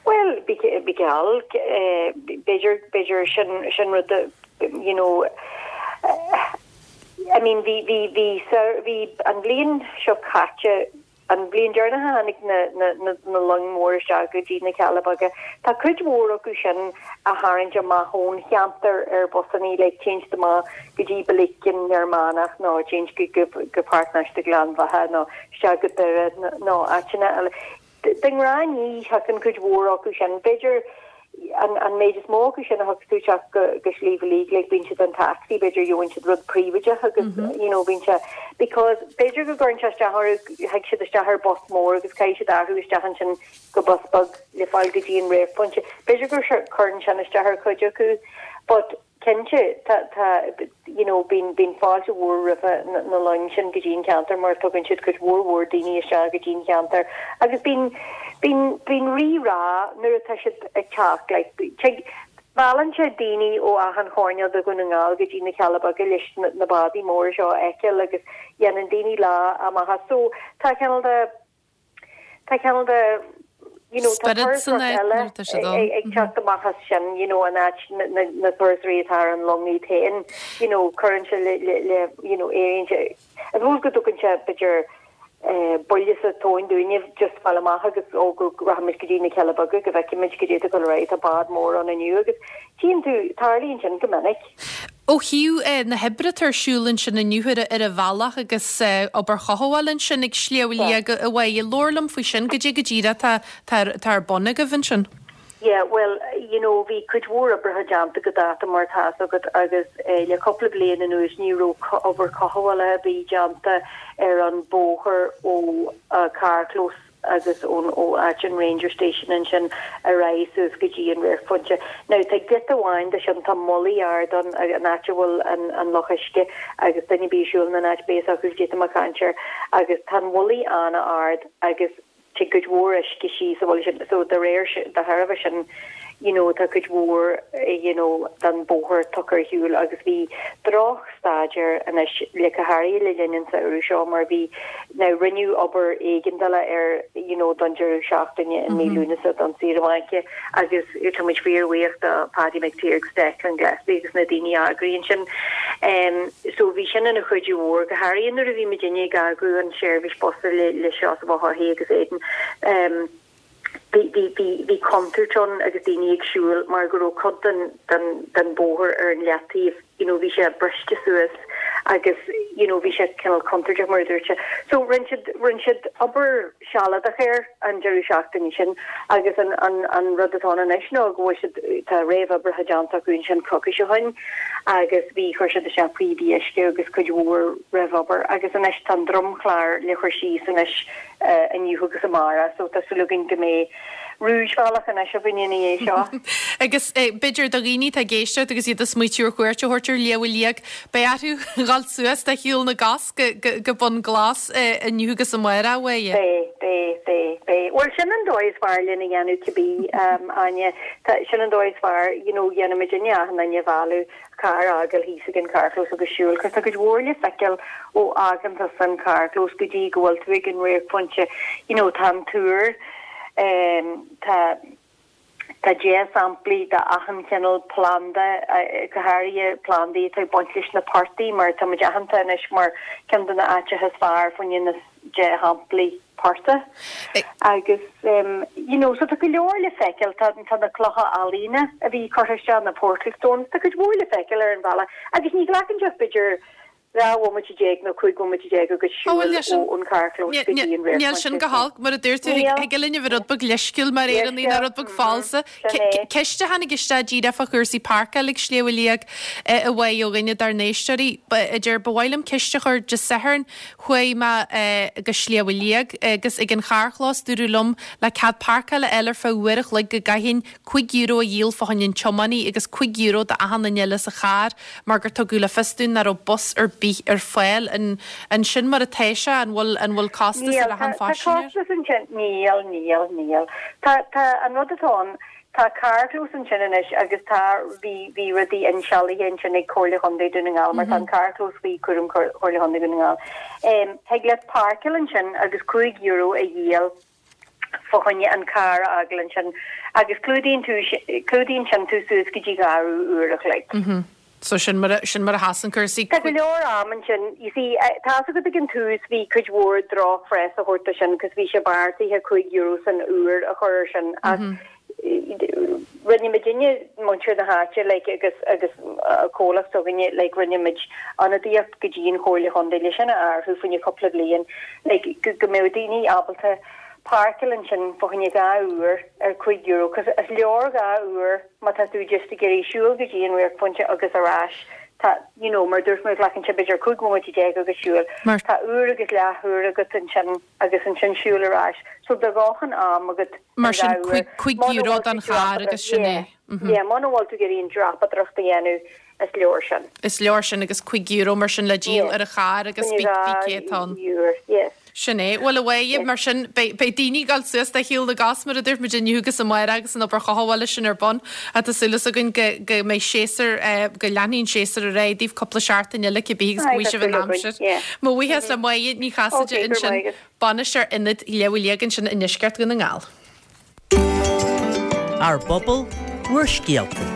Bhuel, bí geall, b'fhéidir, b'fhéidir sin, sin rud a, you know, I mean bhí, bhí, bhí, bhí an bhliain seo caite, an bhliain deireanach a tháinig na, na, na, na loing mhóra isteach go dtí na Cealla Beaga, tá cuid mhór acu sin á tharraingt amach ón cheantar ar busannaí, like téann siad amach go dtí Billiken Fhear Manach nó téann siad go, go, go Páirc Náisiúnta Ghleann Bheatha nó isteach go Doire nó áiteanna eile. De ghnáth ní thiocfainn cuid mhór acu sin. B'fhéidir an an méid is mó acu sin a thiocfas isteach go go Sliabh Liag like bíonn siad an taxi b'fhéidir gheobhann siad rud príobháideach agus you know bíonn sé because b'fhéidir go gcuireann sé isteach orthu thig siad isteach ar bus mór agus caithfidh siad athrú isteach ansin go bus beag le fáil go dtí an réamhphointe. B'fhéidir gur cuireann sin isteach ar chuid acu but Cinnte, tá, tá, you know, bíonn, bíonn fáilte mhór roimhe na, na loing sin go dtí an ceantar mar tugann siad cuid mhór mhór daoine isteach go dtí an cheantar agus bíonn, bíonn, bíonn rí-rá nuair atá siad ag teacht, like, tig, meallann sé daoine ó achan choirnéal de Dhún na nGall go dtí na Cealla Beaga leis na, na bádaí móra seo a fheiceáil agus dhéanann daoine lá amach as. So, tá cineál de. Tá cineál de you know tá turasóireacht eile ag teacht amach as sin you know an áit na turasóirí atá ar an long iad féin you know cuireann sé le le you know éiríonn sé I suppose go dtugann sé b'fhéidir buille sa tóin dúinne just fáil amach agus ó go rachaimid go dtí na Cealla Beaga go bhfeicfimid goidé atá ag dul ar aghaidh tá bád mór ann inniu agus tchíonn tú tarlaíonn sin go minic. Ó thaobh na hoibre atá ar siúl ansin inniu ar an bhealach agus obair chothabhála ansin ag Sliabh Liag a Mháire, labhair liom faoi sin, goidé go díreach atá atá ar bun agaibh ansin. Yeah, bhuel, you know, bhí cuid mhór oibreacha déanta go dáta mar tá fhios agat agus le cúpla bliain anuas ní raibh obair cothabhála ar bith déanta ar an bóthar ó carrchlós agus ón ó áit an Ranger Station ansin ar aghaidh suas go dtí an radharcphointe. Now tá giota amháin de sin, tá mullaigh ard ann, an áit a bhfuil an an loch uisce agus duine ar bith a siúlann an áit beidh fhios acu goidé tá mé ag caint air agus tá an mhullaigh an-ard agus tig cuid mhór uisce síos an mhullaigh sin so de réir de thairbhe sin you know tá cuid mhór you know den bóthar tugtha ar shiúl agus bhí droch staid air anois le go háirithe le linn an samhradh seo mar bhí now rinneadh obair éigeandála air you know don deireadh seachtaine in mí Lúnasa don saoire bhainc agus tá muid fíor-bhuíoch do Paddy McTeer agus Declan Gillespie agus na daoine a eagraíonn sin. Um so bhí sin ina chuidiú mhór go háirithe nuair a bhí muidinne ag eagrú an seirbhís bus le le Seosamh Ó hEochaidh agus Aidan. Um Bhí, bhí, bhí, bhí contúirt ann agus daoine ag siúl mar go raibh cuid den, den, den bóthar ar an leataobh, you know, bhí sé briste suas agus, you know, bhí sé cineál contúirteach mar a dúirt sé. So rinne siad, rinne siad obair sealadach air an deireadh seachtaine sin agus an, an, an rud atá ann anois ná go bhfuil siad, tá réamhoibreacha déanta acu ansin coicís ó shin agus bhí, chuir siad isteach píopaí uisce agus cuid mhór réamhobair agus anois tá an dromchlár le cur síos anois inniu agus amárach so tá súil againn go mbeidh rúisbhealach anois againn ina dhiaidh seo. Agus b'fhéidir do dhaoine atá ag éisteacht agus iad ag smaoitiú ar chuairt a thabhairt ar Shliabh Liag, beidh orthu dhul suas de shiúl na gcos go Bun Glas inniu agus amárach, a Mháire. Beidh, beidh, beidh, beidh. Bhuel sin an dóigh is fearr lena dhéanamh cibé, Áine. Tá, sin an dóigh is fearr, you know, dhéanfaimid inne achan duine a mhealladh. carr a fhágáil thíos ag an carrchlós agus siúl, 'cause tá cuid mhór le feiceáil ó fhágann tusa an carrchlós go dtí go bhfuil tú ag an radharcphointe. You know, tá an túr, em, tá, tá dea-shamplaí de achan chineál planda, go háirithe plandaí atá ag baint leis na portaigh mar tá muid aitheanta anois mar ceann de na áiteacha is fearr fá choinne na dea-shamplaí portaigh agus you know so tá go leor le feiceáil, tá tá na clocha ealaíne a bhí curtha isteach, na portal stones, tá cuid mhór le feiceáil ar an bhealach agus ní ghlacann sé ach b'fhéidir. 12 bhomaite nó 15 bhomaite agat siúl ón carrchlós go dtí an Níl sin go holc, mar a dúirt tú, thig linn a bheith rud beag leisciúil mar Éireannaigh nó rud beag falsa. Ceist a tháinig isteach díreach fá chúrsaí páirceála ag Sliabh a Liag a Mháire ó dhuine dár n-éisteoirí, a deir, Ba mhaith liom ceist a chur Dé Sathairn chuaigh mé go Sliabh a Liag agus ag an charrchlós dúradh liom le cead páirceála a fháil ar feadh uair a chloig go gcaithfinn €5 a dhíol fá choinne an tiománaí agus €5 do achan duine eile sa charr mar gur tugadh le fios dúinn nach raibh bus ar bith ar fáil. An an sin mar atá sé? An bhfuil an bhfuil costas Níl, ar achan tá phaisinéir? costas ansin. Níl, níl, níl. Tá, tá, an rud atá ann, tá carrchlós ansin anois agus tá, bhí, bhí rudaí insealbhaithe ansin ag Comhairle Chontae Dhún na nGall mar tá an carrchlós faoi chúram Chomhairle Chontae Dhún na nGall. Thig leat páirceáil ansin agus €5 a dhíol fá choinne an carr a fhágáil ansin agus clúdaíonn tú, clúdaíonn sin tú suas go dtí dhá uair a chloig. So sin mar a, sin mar a sheasann cúrsaí. Tá go leor am ansin. You see, tá's agat ag an tús bhí cuid mhór droch-phress á thabhairt do sin cos bhí sé beartaithe €5 san uair a chur ar sin ach rinne muidinne, muintir na háite like agus, agus comhlacht s'againne like rinne muid ionadaíocht go dtí an Chomhairle Chontae le sin a athrú fá choinne cúpla bliain like go, go mbeadh daoine ábalta páirceáil ansin fá choinne 2 uair ar €5 cos is leor 2 uair má tá tú just ag iarraidh siúl go dtí an radharcphointe agus ar ais tá you know mar dúirt mé glacann sé b'fhéidir 15 bhomaite agat siúl tá uair agus leathuair agat ansin agus ansin siúl ar ais so tá do dhóthain am agat Mar sin €5 don charr agus sin é. Yeah, muna bhfuil tú ag iarraidh an dreapadóireacht a dhéanamh is leor sin. Is leor sin agus €5 mar sin le díol ar an charr agus bí cé atá ann. Sin é. Bhuel a Mháire, mar sin beidh daoine ag dul suas de shiúl na gcos mar a dúirt muid inniu agus amárach agus an obair chothabhála sin ar bun. Ach tá súil againn go mbeidh séasúr, go leanfaidh an séasúr ar aghaidh daoibh cúpla seachtain eile cibé agus go bhfaighidh sibh an aimsir. Mo bhuíochas le Máire Ní Chasaide ansin, Bainisteoir Ionad Shliabh a Liag ansin i ndeisceart Dhún na nGall. Ár bpobal, bhur scéalta.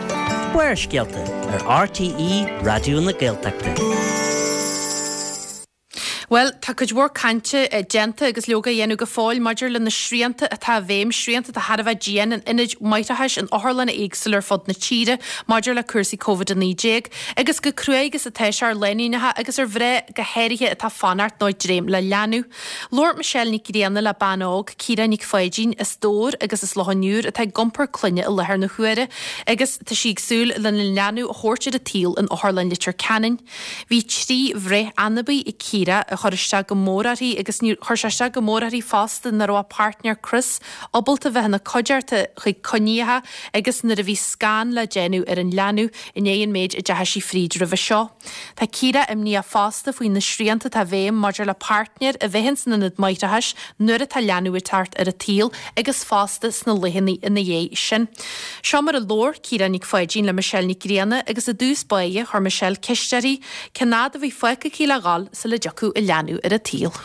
Barrscéalta ar RTÉ Raidió na Gaeltachta. Bhuel, tá cuid mhór cainte déanta agus leoga á dhéanamh go fóill maidir le na srianta atá i bhfeidhm, srianta atá thar a bheith dian in ionaid máithreachais, in otharlanna éagsúla ar fud na tíre maidir le cúrsaí Covid-19 agus chomh cruaidh agus atá sé ar lánúineacha agus ar mhná go háirithe atá ag fanacht nó ag dréim le leanbh. Labhair Michelle Nic Grianna le bean óg, Ciara Nic Pháidín, as Dobhar agus as Loch an Iúir atá ag iompar clainne i láthair na huaire agus tá sí ag súil lena leanbh a thabhairt ar an tsaol in Otharlann Leitir Ceanainn. Bhí 3 bhreith anabaí ag Ciara a chuir isteach go mór uirthi agus níor chuir sé isteach go mór uirthi fosta nach raibh a páirtnéir Chris ábalta bheith ina cuideachta chuig coinníocha agus nuair a bhí scan le déanamh ar an leanbh i ndiaidh an méid a deachaigh sí fríd roimhe seo. Tá Ciara imníoch fosta faoi na srianta atá i bhfeidhm maidir le páirtnéir a bheith ins an ionad máithreachais nuair atá leanbh ag teacht ar an tsaol agus fosta sna laethanta ina dhiaidh sin. Seo mar a labhair Ciara Nic Pháidín le Michelle Nic Grianna agus i dtús báire chuir Michelle ceist uirthi cén fhad a bhí fágtha aici le dhul sula dtiocfadh a leanbh ar an tsaol.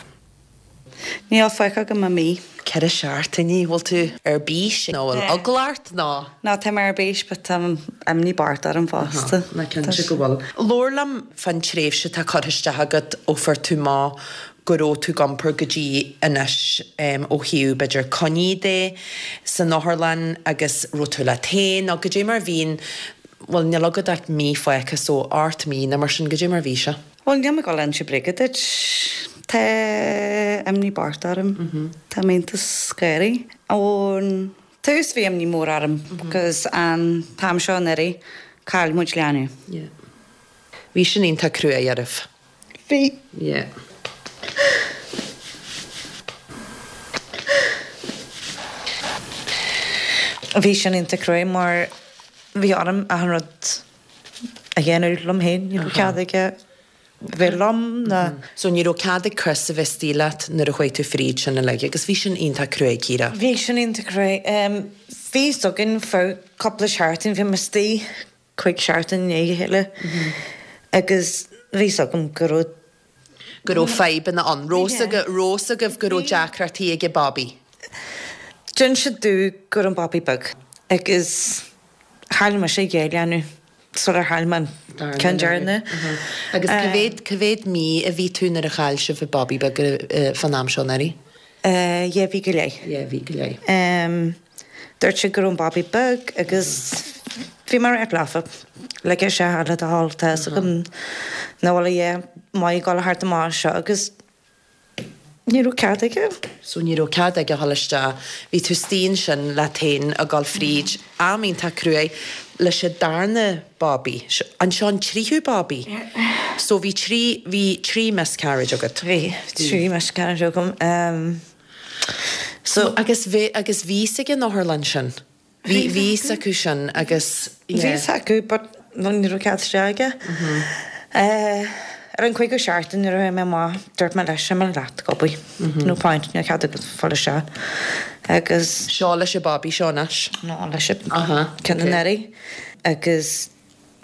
Níl fágtha agam ach mí. 4 seachtainí, bhfuil tú ar bís nó bhfuil eagla ort nó? No, tá mé ar bís but tá imní bocht orm fosta. Ná cinnte go bhfuil. Labhair liom fán tréimhse atá curtha isteach agat ó fuair tú amach go raibh tú ag iompar go dtí anois ó thaobh b'fhéidir coinní de san otharlann agus raibh tú leat féin nó goidé mar a bhíonn, bhuel níl agat ach mí fágtha so 8 mí nó mar sin, goidé mar a bhí sé? Bhuel níl mé ag dul inse bréige duit, tá imní bocht orm, tá mé iontach scary. Ón tús bhí imní mór orm because an t-am seo anuraidh chaill muid leanbh. Yeah. Bhí sin iontach cruaidh oraibh. Bhí. Yeah. Bhí sin iontach cruaidh mar bhí orm achan rud a dhéanamh liom féin. Ní raibh cead aige bheith liom ná. So ní raibh cead ag Chris a bheith istigh leat nuair a chuaigh tú fríd sin uilig agus bhí sin iontach cruaidh, Ciara. Bhí sin iontach cruaidh. Bhí fhios againn feadh cúpla seachtain, bhí mé istigh 5 seachtain i ndiaidh a chéile agus bhí fhios agam go raibh. go raibh fadhbanna ann. Raibh fhios agaibh go raibh deacrachtaí ag an babaí? D'inis siad domh go raibh an babaí beag agus chaill mise dhá leanbh sular chaill mé an ceann deireanach. Agus cá mhéad, cá mhéad mí a bhí tú nuair a chaill sibh an babaí beag fán am seo anuraidh? Dhá mhí go leith. Dhá mhí go leith. Dúirt siad go raibh an babaí beag agus. Bhí mé ag ráit leofa, lig isteach le do thoil, tá fhios agam nach bhfuil a dhath maith ag dul thart amach anseo agus ní raibh cead aige. So ní raibh cead aige a dhul isteach. Bhí tú istigh ansin leat féin ag dul fríd am iontach cruaidh leis an darna babaí. Anseo an tríú babaí. So bhí trí, bhí trí miscarriage agat. Bhí trí miscarriage agam. So agus bhí, agus bhí fhios ag an otharlann sin. Bhí, bhí fhios acu sin agus, yeah. Bhí fhios acu but ní raibh cead isteach aige. Ar an cúigiú seachtain nuair a chuaigh mé amach dúirt mé leis imigh leat ag obair. No point, níl cead agat fáil isteach. Agus. Seo leis an babaí seo anois? No, leis an ceann anuraidh. Agus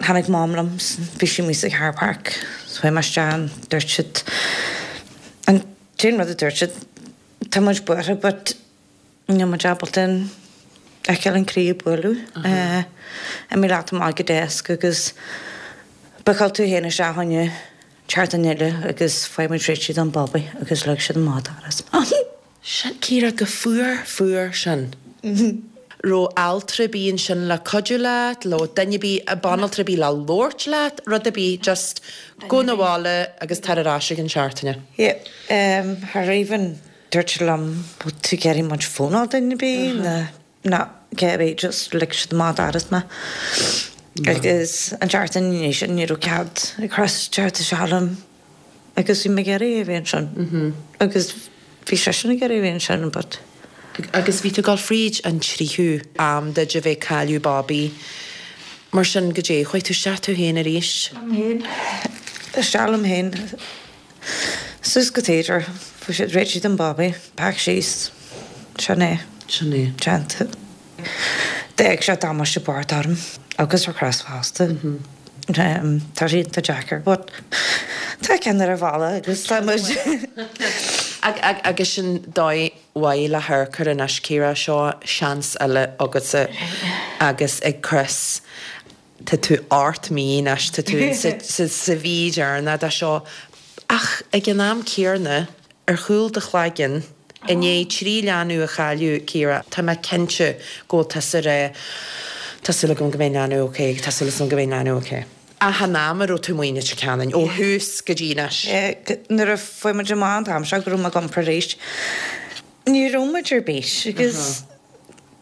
tháinig Mam liom, bhí sí amuigh sa car park. So chuaigh mé isteach and dúirt siad, an t-aon rud a dúirt siad, tá muid buartha but Níl muid ábalta a fheiceáil an croí ag bualadh. Imigh leat amach ag an desk agus bookáil tú féin isteach fá choinne seachtain eile agus faighidh muid réitigh don babaí agus leag siad amach an doras. Sin, Ciara, go fuar, fuar sin. Raibh altra ar bith ansin le cuidiú leat, nó duine ar bith, banaltra ar bith le labhairt leat, rud ar bith, just gabh 'na bhaile agus tar ar ais i gcionn seachtaine. Yeah, cha raibh even Dúirt siad liom, bhfuil tú ag iarraidh muid fónáil duine ar bith nó ná cé ar bith, just lig siad amach an doras mé. Agus an tseachtain ina dhiaidh sin ní raibh cead ag Chris teacht isteach liom agus bhí mé ag iarraidh é a bheith ansin agus bhí seisean ag iarraidh a bheith ansin but. Agus bhí tú ag dul fríd an tríú am duit a bheith ag cailleadh babaí mar sin goidé, chuaigh tú isteach tú féin arís? Liom féin, isteach liom féin. Suas go theatre, fuair siad réitigh don babaí, pack síos, sin é. Sin é. Déanta. D'fhág sé damáiste bocht orm agus ar Chris fosta. Tá sé iontach deacair but tá ceann ar an bhalla agus tá muid. Agus sin dóigh mhaith le hamharc air anois, Ciara, seo seans eile agatsa agus ag Chris. Tá tú 8 mí anois, tá tú sa mhí dheireanach de seo, ach ag an am céanna, ar chúl do chloigeann, i ndiaidh 3 leanbh a chailleadh, Ciara, tá mé cinnte go bhfuil tusa ag rá, tá súil agam go mbeidh an leanbh ok, tá súil agam go mbeidh an leanbh ok. Achan am a raibh tú amuigh i Leitir Ceanainn, ó thús go dtí anois. Nuair a fuair muid amach an t-am seo go raibh mé ag iompar arís, ní raibh muid ar bís agus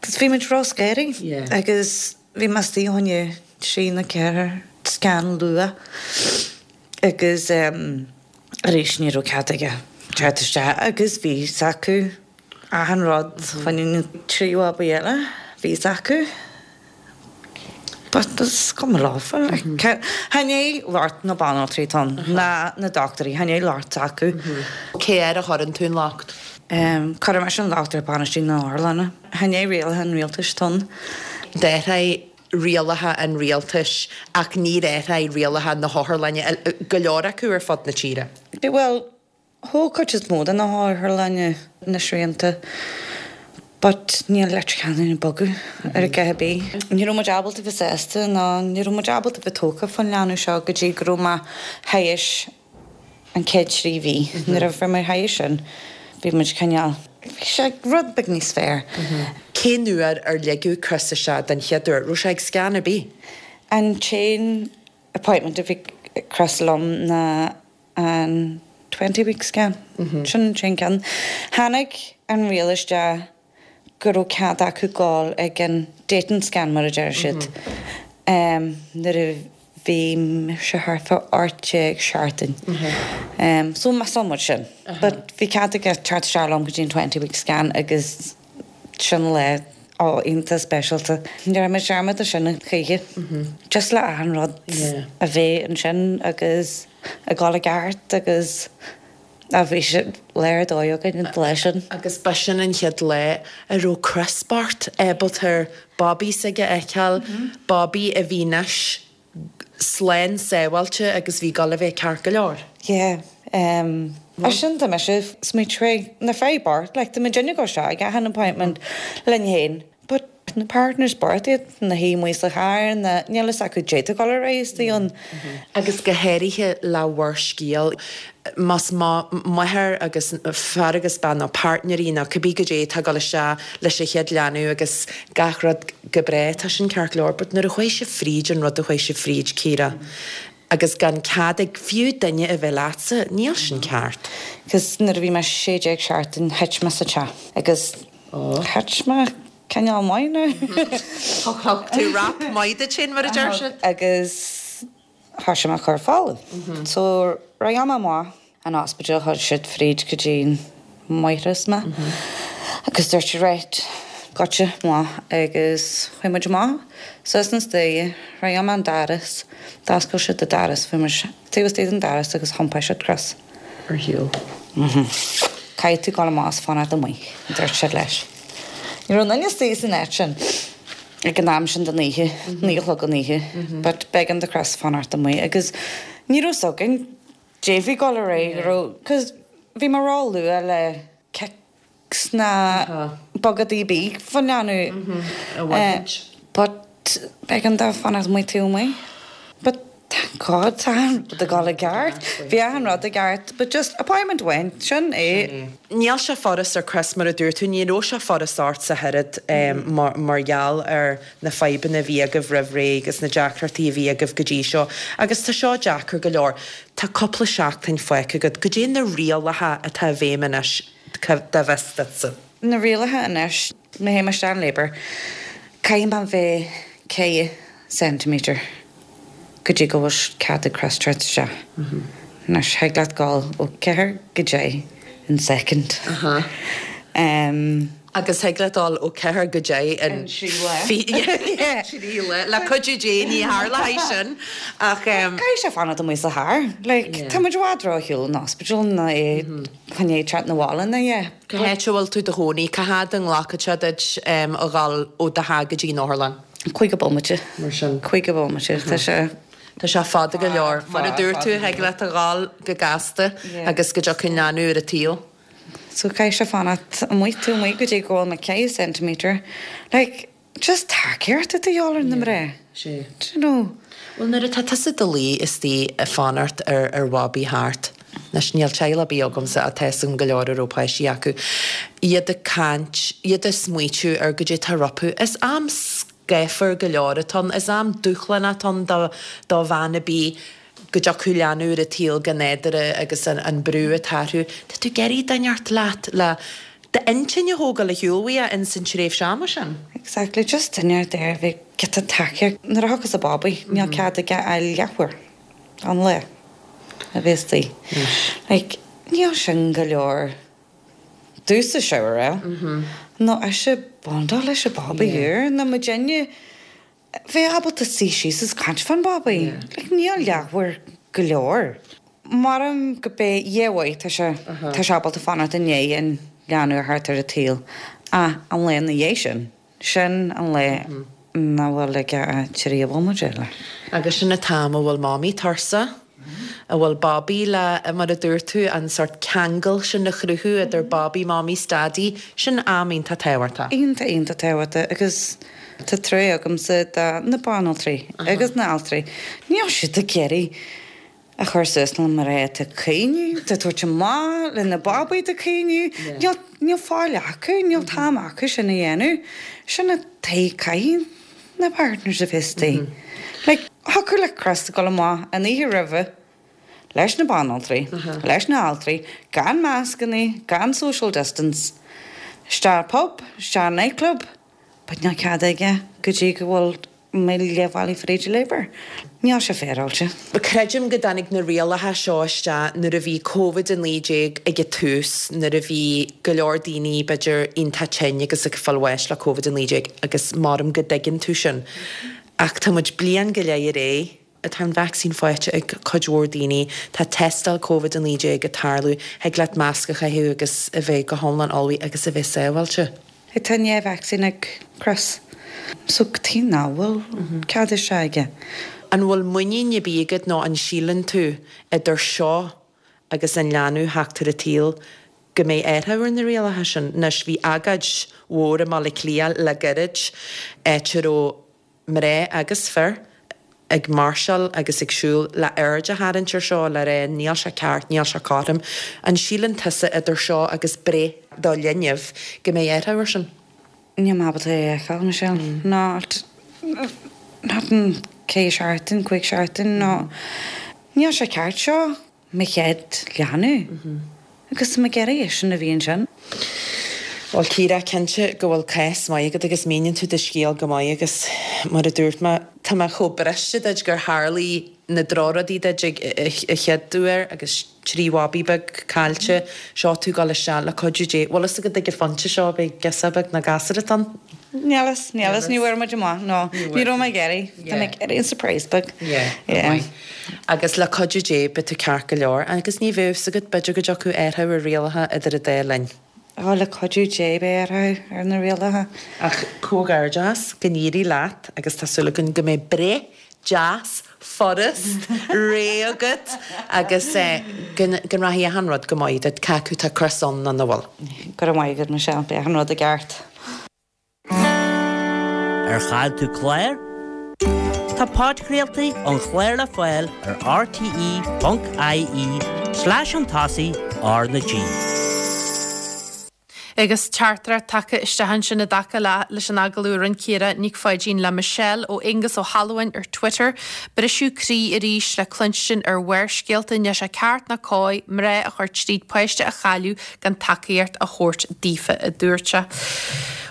bhí muid ró-scary agus Bhí mé istigh fá choinne trí nó ceathair scan luath agus arís ní raibh cead aige teacht isteach agus bhí fhios acu achan rud fá choinne na trí bhabaí eile, bhí fhios acu. But is cuma leofa like chan é locht na banaltraí atá ann ná na dochtúirí, chan é locht s'acu. Cé air a chuireann tú an locht? Cuireann mise an locht ar bainistiú na otharlainne. Chan é rialacha an rialtais atá ann. D'athraigh rialacha an rialtais ach níor athraigh rialacha na hotharlainne, go leor acu ar fud na tíre. Bhuel, thóg cuid is mó de na hotharlainne na srianta but níl Leitir Ceanainn ag bogadh ar a dhath ar bith. Ní raibh muid ábalta bheith sásta ná ní raibh muid ábalta bheith tógtha fán leanbh seo go dtí go raibh mé théis an chéad 3 mhí. Nuair a bhí mé théis sin, bhí muid cineál, bhí sé rud beag níos fearr. Cén uair ar ligeadh Chris isteach den chéad uair? Raibh sé ag scan ar bith? An t-aon appointment a bhí Chris liom ná an 20 week scan. Sin an t-aon ceann. Tháinig an riail isteach go raibh cead acu gabháil ag an dating scan mar a deir siad nuair a bhí mise thart fá 18 seachtain. So mheas muid sin. But bhí cead aige teacht isteach liom go dtí an 20 week scan agus sin lá ó iontach speisialta. Ní raibh mé dearmad de sin choíche. Just le achan rud a bheith ansin agus ag dul i gceart agus Á bhí sé lá ar dóigh againn an lá sin. Agus b'shin an chéad lá a raibh Chris bocht ábalta babaí s'aige a fheiceáil, babaí a bhí anois slán sábháilte agus bhí ag dul a bheith ceart go leor. Yeah. As sin tá mise smaoitiú na fir bocht, like tá muidinne ag dul isteach ag achan appointment linn féin but. Na partners bocht iad ina shuí amuigh sa charr nó níl fhios acu caidé tá ag dul ar aghaidh istigh ann. Agus go háirithe le bhur scéal, más máthair agus fear agus bean nó páirtnéirí nó cibé goidé atá ag dul isteach leis an chéad leanbh agus gach rud go breá, tá sin ceart go leor, but nuair a chuaigh sibh fríd an rud a chuaigh sibh fríd, Ciara, agus gan cead ag fiú duine a bheith leatsa, níl sin ceart. Cos nuair a bhí mé 16 seachtain thit mé sa teach agus thit mé cineál maith now. Thug tú rap maith duit féin mar a deir siad. Agus thoisigh mé ag cur fola. So rith mé amach an ospidéal chuir siad fríd go dtí an máithreas mé agus dúirt siad right goitse amach agus chuaigh muid amach suas an staighre rith mé an doras d'oscail siad an doras bhí muid taobh istigh den doras agus thiompáin siad Chris. ar shiúl. Caithfidh tú dul amach is fanacht amuigh a dúirt siad leis. Ní raibh aon duine istigh san áit sin ag an am sin den oíche, 9 a chlog an oíche, but b'éigean do Chris fanacht amuigh agus ní raibh 's againn caidé a bhí ag dul ar aghaidh, raibh, cos bhí mé ró-luath le kicks ná bogadaí ar bith faoin leanbh a bhaint. But b'éigean dó fanacht amuigh taobh amuigh. But thank God tá achan rud ag dul i gceart. Bhí achan rud i gceart but just appointment amháin, sin é. Níl sé furast ar Chris mar a dúirt tú, ní raibh sé furast ort ach oiread mar gheall ar na fadhbanna a bhí agaibh roimh ré agus na deacrachtaí a bhí agaibh go dtí seo agus tá seo deacair go leor. Tá cúpla seachtain fágtha agat. Goidé na rialacha atá i bhfeidhm anois dá bhfios duitse? Na rialacha anois, má théim isteach in labour, caithfidh mé bheith 4 centimetre go dtí go bhfuil cead ag Chris teacht isteach. Anois, thig leat dul ó 4 go 10 in second. Agus thig leat dul ó 4 go 10 in 3 lá. 3 lá. Le cuidiú Dé ní tharlóidh sin ach. Caithfidh sé fanacht amuigh sa charr. Like, tá muid i bhfad ró-shiúl ón ospidéal ná é chun é teacht 'na bhaile ná yeah. Cá háit a bhfuil tú i do chónaí? Cá fhad a nglacfadh sé duit a dhul ó do theach go dtí an otharlann? 50 bomaite. Mar sin. 50 bomaite. Tá sé. Tá sé fada go leor. Mar a dúirt tú, thig leat a dhul go gasta agus go dtiocfaidh an leanbh ar an tsaol. So caithfidh sé fanacht amuigh taobh amuigh go dtí go bhfuil mé 4 centimetre. Like, just tacaíocht atá de dhíobháil ar na mná. Sea. Do you know? Bhuel, nuair atá tusa i do luí istigh ag fanacht ar ar bhabaí thart, anois níl teaghlach ar bith agamsa ach tá 'fhios agam go leor a raibh páistí acu, iad ag caint, iad ag smaoitiú ar goidé atá rompu, is am scáfar go leor atá ann, is am dúshlánach atá ann do do bhean ar bith go dtiocfadh leanbh ar an tsaol go nádúrtha agus an brú atá orthu. Tá tú ag iarraidh duine inteacht leat le d'intinn a thógáil ar shiúl uait ins an tréimhse ama sin. Exactly, just duine inteacht a bheidh giota tacaíocht. Nuair a thiocfas an babaí, níl cead aige ach leathuair an lae a bheith istigh. Like, níl sin go leor domhsa shower a fháil, nó ise bondáil leis an babaí úr, nó muidinne bheith ábalta suí síos is caint fán bhabaí. Like, níl leathuair go leor. Maram go mbeidh Dhia mhaith, tá sé, tá sé ábalta fanacht i ndiaidh an leanbh a theacht ar an tsaol. Ach an lá ina dhiaidh sin, sin an lá nach bhfuil aige ach 30 bomaite eile. Agus sin an t-am a bhfuil Mamaí tuirseach. a bhfuil babaí le, mar a dúirt tú, an sórt ceangal sin a chruthú idir babaí, mamaí 's daidí, sin am iontach tábhachtach. Iontach, iontach tábhachtach agus tá trua agamsa do na banaltraí agus na altraí. Níl siad ag iarraidh a chur suas le mná atá ag caoineadh, atá ag tabhairt amach le na babaí atá ag caoineadh. Níl, níl fáil acu, níl t-am acu sin a dhéanamh. Sin an tuige caithfidh na partners a bheith istigh. Like, thiocfadh le Chris dul amach an oíche roimhe leis na banaltraí, leis na altraí, gan mascannaí, gan social distance, isteach pub, isteach nightclub, but níl cead aige go dtí go bhfuil mé leath bhealaigh fríd an labour. Níl sé féaráilte. Creidim go dtáinig na rialacha seo isteach nuair a bhí Covid-19 ag an tús, nuair a bhí go leor daoine, b'fhéidir, iontach tinn agus ag fáil bháis le Covid-19 agus maram go dtuigeann tú sin. Ach tá muid bliain go leith ar aghaidh, tá an vacsaín faighte ag cuid mhór daoine, tá tástáil Covid-19 ag tarlú, thig leat masc a chaitheamh agus a bheith go hiomlán ullmhaithe agus a bheith sábháilte. Tá an dá vacsaín ag Chris so cad chuige nach bhfuil cead isteach aige. An bhfuil muinín ar bith agat nó an síleann tú idir seo agus an leanbh theacht ar an tsaol? go mbeidh athrú ar na rialacha sin. Anois bhí agóid mhór i mBaile Átha Cliath le gairid, áit a raibh mná agus fir ag máirseáil agus ag siúl le aird a tharraingt ar seo, le rá níl sé ceart, níl sé cothrom. An síleann tusa idir seo agus breith do linbh go mbeidh athrú ar sin? Níl mé ábalta é a fheiceáil, Michelle. Not, not in 4 seachtain, 5 seachtain, nó níl sé ceart seo mo chéad leanbh agus tá mé ag iarraidh eisean a bhí ansin. Bhuel, Ciara, cinnte go bhfuil cás maith agat agus míníonn tú do scéal go maith agus mar a dúirt mé, tá mé chomh briste duit gur tharlaigh na drochrudaí duit ag an chéad uair agus 3 bhabaí beag caillte, seo tú ag dul isteach le cuidiú Dé. Bhfuil fhios agat ag an phointe seo beidh girseach beag nó gasúr atá ann? Níl fhios, níl fhios, ní bhfuair muid amach, no, ní raibh mé ag iarraidh, tá mé ag iarraidh an surprise beag. Yeah, go maith. Agus le cuidiú Dé beidh tú ceart go leor agus ní bheadh fhios agat, b'fhéidir go dtiocfadh athrú ar rialacha idir an dá linn. Ó, le cuidiú Dé beidh athrú ar na rialacha. Ach comhghairdeas, go n-éirí leat agus tá súil againn go mbeidh breith deas, furast, réidh agat agus go rachaidh achan rud go maith duit, cé acu tá Chris ann nó nach bhfuil. Go raibh maith agat, Michelle, beidh achan rud i gceart. Ar chaill tú clár? Tá podchraoltaí an chláir le fáil ar rte.ie slash chun tosaigh R na G. Agus teachtaireacht tagtha isteach ansin i dtaca le leis an agallamh a rinne Ciara Nic Pháidín le Michelle ó Aonghus Ó hAlmhain ar Twitter. Briseadh croí arís le cluinstin ar Bharrscéalta. Níl sé ceart ná cóir mná a chur tríd páiste a chailleadh gan tacaíocht a thabhairt daofa, a dúirt sé.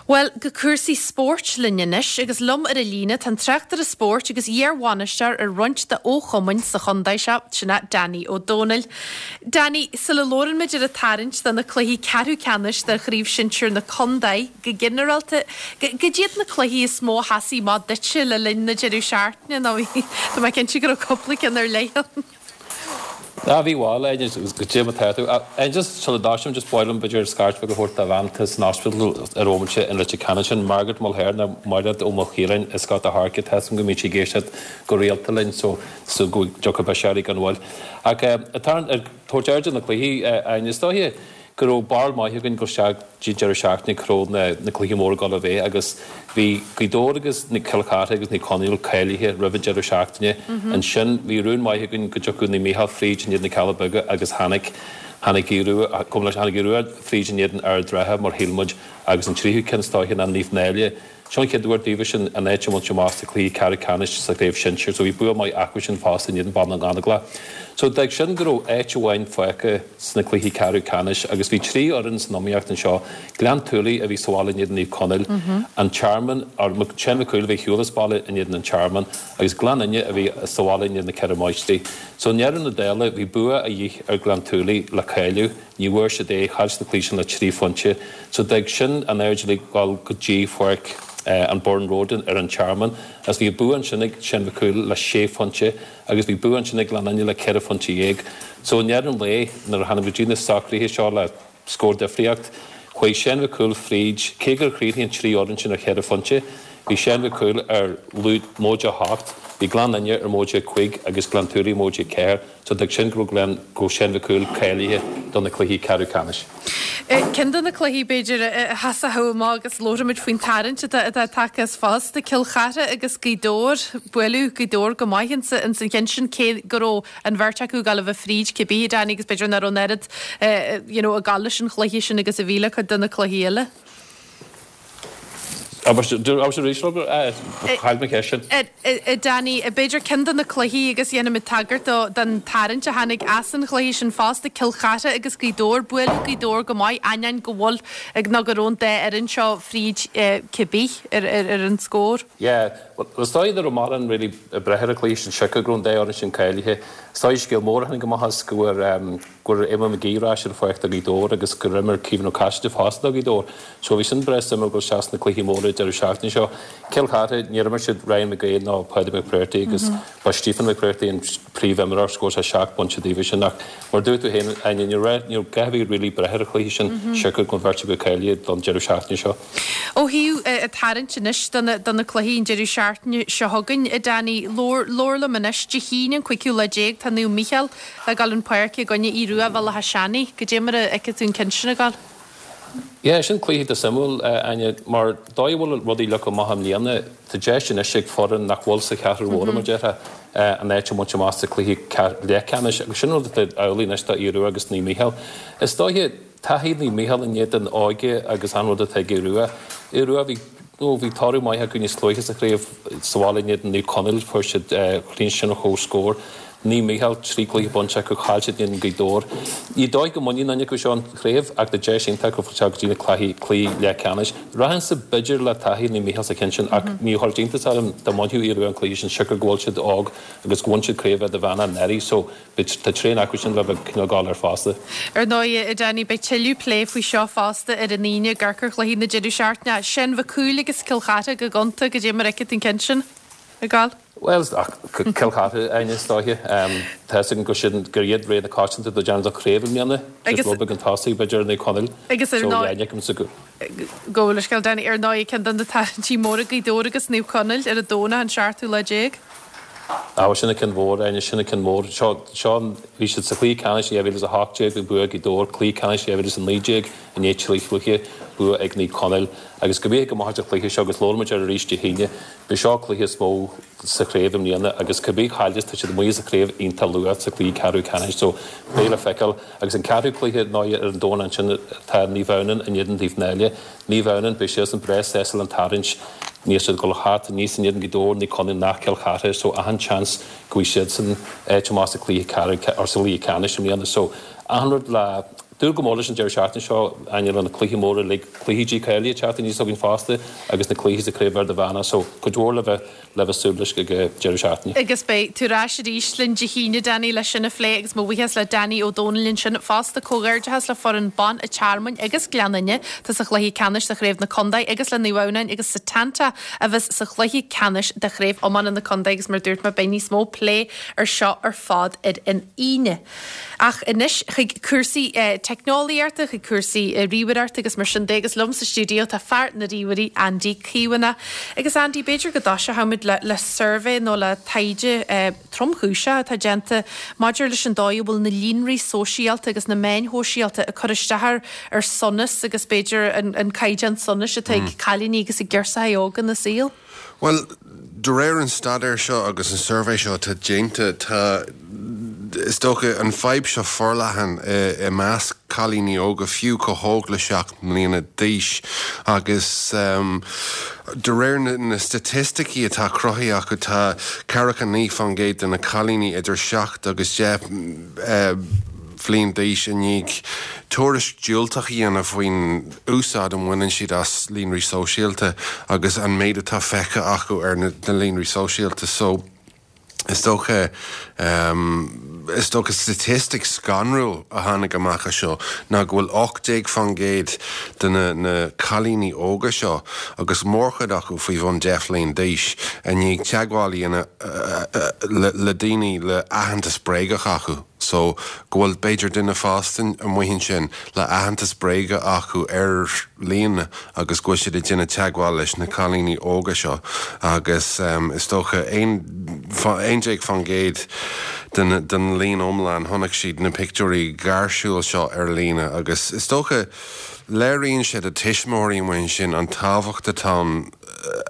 Bhuel, go cúrsaí spóirt linn anois agus liom ar an líne tá an tráchtaire spóirt agus iar-bhainisteoir ar roinnt de fhochumainn sa chontae seo, sin é Danny Ó Domhnaill. Danny, sula labhrann muid ar an tarraingt do na cluichí ceathrú ceannais de Chraobh Shinsir na Contae, go ginearálta, cad iad na cluichí is mó a sheasfaidh amach duitse le linn na deireadh seachtaine nó bhí, tá mé cinnte go raibh cúpla ceann ar leith ann. Ah bhí bhuel, goidé mar atá tú. Ah just sula dtosaím just ba mhaith liom b'fhéidir scairt bheag a thabhairt do bhean atá san ospidéal ar an bhomaite in Leitir Ceanainn sin Margaret Mulhern nó Mairéad Ó Maolchiaráin as Gort a' Choirce tá 'fhios a'm go mbíonn sí ag éisteacht go rialta linn so so go dtiocfaidh bisirí gan mhoill. Ach ag tabhairt aird ar na cluichí, Áine, is dóiche go raibh barúil maith againn dul isteach dtí an deireadh seachtaine cá raibh na cluichí móra ag dul a bheith agus bhí Gaoth Dobhair agus Cill Chartha agus Naomh Conaill cáilithe roimh an deireadh seachtaine. Ansin bhí rún maith againn go dtiocfadh Naomh Mícheál fríd in éadan na Cealla Beaga agus tháinig. Tháinig Aodh Rua, gabh mo leithscéal, tháinig Aodh Rua fríd in éadan Ard Ratha mar shíl muid agus an tríú ceann is dóiche ná Naomh Náille. Seo an chéad uair daofa sin an áit a bhaint amach sa chluiche ceathrú ceannais sa chraobh shinsir so bhí bua maith acu sin fosta in éadan Bhaile na nGaineamhlach. So d'fhág sin go raibh áit amháin fágtha sna cluichí ceathrú ceannais agus bhí 3 fhoireann san iomaíocht anseo, Gleann tSúilí a bhí sa bhaile in éadan Naomh Conaill, An Tearmann, or Seán Mac Cumhaill a bhí ar shiúl as baile in éadan An Tearmann agus Gleann Fhinne a bhí sa bhaile in éadan na Ceithre Máistrí. So i ndeireadh na dála bhí bua a dhíth ar Ghleann tSúilí le cáiliú. Ní bhfuair siad é, chaill siad an cluiche sin le 3 phointe. So d'fhág sin an aird uilig dul go dtí pháirc an Burren Road ar an Tearmann agus bhí bua ansin ag Seán Mhic Cumhaill le sé phointe agus bhí bua ansin ag Gleann Fhinne le ceithre phointe dhéag. So i ndeireadh an lae nuair a tháinig go dtí na socruithe seo le scór difríocht, chuaigh Seán Mhic Cumhaill fríd, cé gur chríochnaigh an trí fhoireann sin ar cheithre phointe, bhí Seán Mhic Cumhaill ar móide 8, bhí Gleann Fhinne ar móide 5 agus Gleann tSúilí móide 4. So d'fhág sin go raibh Gleann, go raibh Seán Mhic Cumhaill cáilithe do na cluichí ceathrú ceannais. Ceann de na cluichí, b'fhéidir, a sheasfadh amach agus labhróimid faoin tarraingt atá tagtha as fosta, Cill Chartha agus Gaoth Dobhair. Buaileadh Gaoth Dobhair go maith ins an cheann sin, cé go raibh an bheirt acu ag dul a bheith fríd cibé, Danny, agus b'fhéidir nach raibh an oiread you know ag dul leis an chluiche sin agus a bhí le cuid de na cluichí eile. Abair arís chaill mé ceist sin. Danny, b'fhéidir ceann de na cluichí agus dhéanfaimid tagairt dó don tarraingt a tháinig as an chluiche sin fosta, Cill Chartha agus Gaoth Dobhair. Buaileadh Gaoth Dobhair go maith, ainneoin go bhfuil nó go raibh an dá fhoireann seo fríd cibé ar an scór. Yeah, bhuel is dóigh nach raibh mórán really ag breith ar an chluiche sin siocair go raibh an dá fhoireann sin cáilithe. Is dóigh scéal mór a tháinig amach as go bhfuair go raibh Éamonn McGee ar ais ar an pháirc do Ghaoth Dobhair agus gur imir Caoimhín Ó Caiside fosta do Ghaoth Dobhair. So bhí sin breá suimiúil dul isteach sna cluichí móra deireadh seachtaine seo. Cill Chartha, níor imir siad Ryan McGrae ná Páidí Mac Bréartaigh agus ba Stephen Mac Bréartaigh an príomhimreoir, scór sé 7 bpointe daofa sin ach mar a dúirt tú féin, Áine, ní raibh, ní raibh gá a bheith really breith ar an chluiche sin siocair go raibh an bheirt acu cáilithe don deireadh seachtaine seo. Ó thaobh an tarraingt anois do na cluichí an deireadh seachtaine. seachtaine seo chugainn, a Danny. Labhair, labhair liom anois, Dé hAoine an cúigiú lá déag, tá Naomh Mícheál le dhul chun páirce i gcoinne Aodh Rua Bhéal Átha Seanaidh. Goidé mar a fheiceann tú an ceann sin ag dul? Yeah, sin cluiche iontach suimiúil, Áine, mar dóigh a bhfuil rudaí ag leagan amach i mbliana, tá deis anois ag foireann nach bhfuil sa cheathrú mhór, mar a déarfá, an áit a bhaint amach sa chluiche leathcheannais agus sin rud atá amhlaidh anois do Aodh Rua agus Naomh Mícheál. Is dóiche, taithí Naomh Mícheál in éadan óige agus an rud atá ag Aodh Rua. Aodh Rua, bhí, nó bhí toradh maith acu níos luaithe sa chraobh sa bhaile in éadan Naomh Conaill, fuair siad, chríochnaigh sin ar comhscór. Naomh Mícheál, 3 cluiche bainte acu, chaill siad in éadan Gaoth Dobhair. Ní dóigh go mbainfidh aon duine acu seo an chraobh ach tá deis iontach acu fáil go dtí na cluichí cluichí leathcheannais. Rachainnse b'fhéidir le taithí Naomh Mícheál sa cheann sin ach ní chuirfeadh iontas orm dá mbainfeadh Aodh Rua an cluiche sin siocair go bhfuil siad óg agus go bhain siad craobh Idirmheánach anuraidh so tá tréan acu sin le bheith cineál ag gabháil air fosta. Ar ndóigh, a Danny, beidh tuilleadh plé faoi seo fosta ar an Aoine ag amharc ar chluichí na deireadh seachtaine. Seán Mhic Cumhaill agus Cill Chartha go gonta, goidé mar a fheiceann tú an ceann sin ag gabháil. Bhuel, Cill Chartha, Áine, is dóiche. Tá fhios agam gur sin, gur iad rogha na coitianta do déanamh do chraobh i mbliana. Agus rud beag chun tosaigh, b'fhéidir, ar Naomh Conaill. Agus ar ndóigh. So, fheicimse go. Gabh mo leithscéal, Danny, ar ndóigh, ceann de na tarraingtí móra, Gaoth Dobhair agus Naomh Conaill ar an Domhnach an seachtú lá déag. Á, bhuel, sin an ceann mhór, Áine, sin an ceann mór. Seo, seo an, bhí siad sa chluiche ceannais i 2018, bhí bua ag Gaoth Dobhair, cluiche ceannais i 2019, i ndiaidh trí chluiche, bua ag Naomh Conaill. Agus go mbíodh go maith sa chluiche seo agus labhróidh muid air arís Dé hAoine. B'é seo cluiche is mó sa chraobh i mbliana agus cibé chailleas tá siad amuigh as an chraobh iontach luath sa chluiche ceathrú ceannais so beidh le feiceáil. Agus an ceathrú cluiche ná ar an Domhnach ansin tá Naomh Adhamhnáin in éadan Taobh Náile. Naomh Adhamhnáin beidh siadsan breá sásta le an tarraingt. Níl siad ag dul thart aníos in éadan Gaoth Dobhair, Naomh Conaill ná Cill Chartha so achan seans go bhfaighidh siadsan áit amach sa chluiche ceathrú or sa chluiche ceannais i mbliana so achan rud le Dúil go mór leis an deireadh seachtaine seo, Áine, le na cluichí móra uilig, cluichí dícháilithe ag teacht aníos againn fosta agus na cluichí sa Chraobh Idirmheánach so cuid mhór le bheith le bheith súil leis ag an deireadh seachtaine. Agus beidh tú ar ais arís linn Dé hAoine, Danny, leis sin a phlé agus mo bhuíochas le Danny Ó Dónaill ansin fosta. Comhghairdeachas le foireann ban an Tearmainn agus Gleann Fhinne atá sa chluiche ceannais de Chraobh na Contae agus le Naomh Adhamhnáin agus Setanta a bheas sa chluiche ceannais de Chraobh Iomána na Contae agus mar a dúirt mé beidh níos mó plé ar seo ar fad ar an Aoine. Ach anois chuig cúrsaí teicneolaíochta, chuig cúrsaí ríomhaireachta agus mar sin de agus liom sa stiúideo tá fear na ríomhairí, Andy Caomhánach. Agus Andy, b'fhéidir go dtoiseochaimid le le suirbhé nó le taighde tromchúiseach atá déanta maidir leis an dóigh a bhfuil na líonraí sóisialta agus na meáin shóisialta ag cur isteach ar ar sonas agus b'fhéidir an an caighdeán sonais atá ag cailíní agus ag girseachaí óga ina saol. Bhuel, de réir an staidéir seo agus an suirbhé seo atá déanta, tá, is dócha, an fadhb seo forleathan i measc cailíní óga, fiú chomh hóg le 7 mbliana d'aois. Agus de réir na staitisticí atá cruthaithe acu, tá ceathracha 9 fán gcéad de na cailíní idir 7 agus 10 bhliain d'aois i ndiaidh tuairisc diúltach a dhéanamh faoin úsáid a mbaineann siad as líonraí sóisialta agus an méid atá feicthe acu ar na líonraí sóisialta. So, is dócha, is dócha staitistic scanrúil a tháinig amach as seo ná go bhfuil 18 fán gcéad de na na cailíní óga seo, agus mórchuid acu faoi bhun 10 bhliain d'aois, i ndiaidh teagmháil a dhéanamh le daoine le aitheantas bréagach acu. so go bhfuil b'fhéidir duine fásta amuigh ansin le aitheantas bréige acu ar líne agus go bhfuil siad ag déanamh teagmháil leis na cailíní óga seo agus is dócha 11 fán gcéad den den líon iomlán chonaic siad na pictiúirí gáirsiúil seo ar líne agus is dócha léiríonn sé do tuismitheoirí amuigh ansin an tábhacht atá ann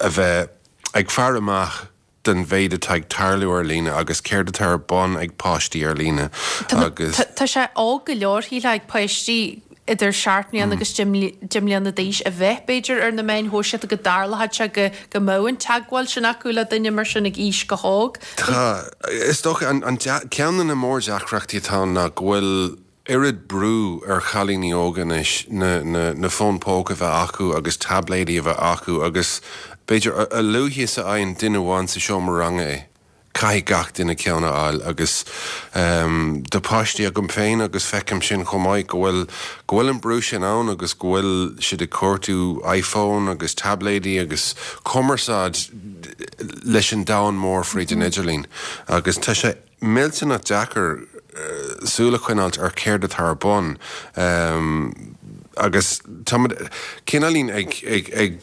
a bheith ag faire amach den mhéid atá ag tarlú ar líne agus céard atá ar bun ag páistí ar líne agus. Tá sé óg go leor, shílfeá, ag páistí idir sheacht mbliana agus deich mbliana d'aois a bheith, b'fhéidir, ar na meáin shóisialta, go dtarlódh sé go go mbeadh an teagmháil sin acu le duine mar sin ag aois chomh hóg. Tá. Is dócha, an ceann de na mórdheacrachtaí atá ann ná go bhfuil oiread brú ar chailíní óga anois na na fóin póca a bheith acu agus taibléidí a bheith acu agus b'fhéidir a luaithe is a fhaigheann duine amháin sa seomra ranga é, caithfidh gach duine ceann a fháil agus tá páistí agam féin agus feicim sin chomh maith go bhfuil go bhfuil an brú sin ann agus go bhfuil siad ag cuartú iPhone agus taibléidí agus cumarsáid leis an domhan mór fríd an idirlíon agus tá sé millteanach deacair súil a choinneáilt ar céard atá ar bun agus táimid cineáilín ag ag ag.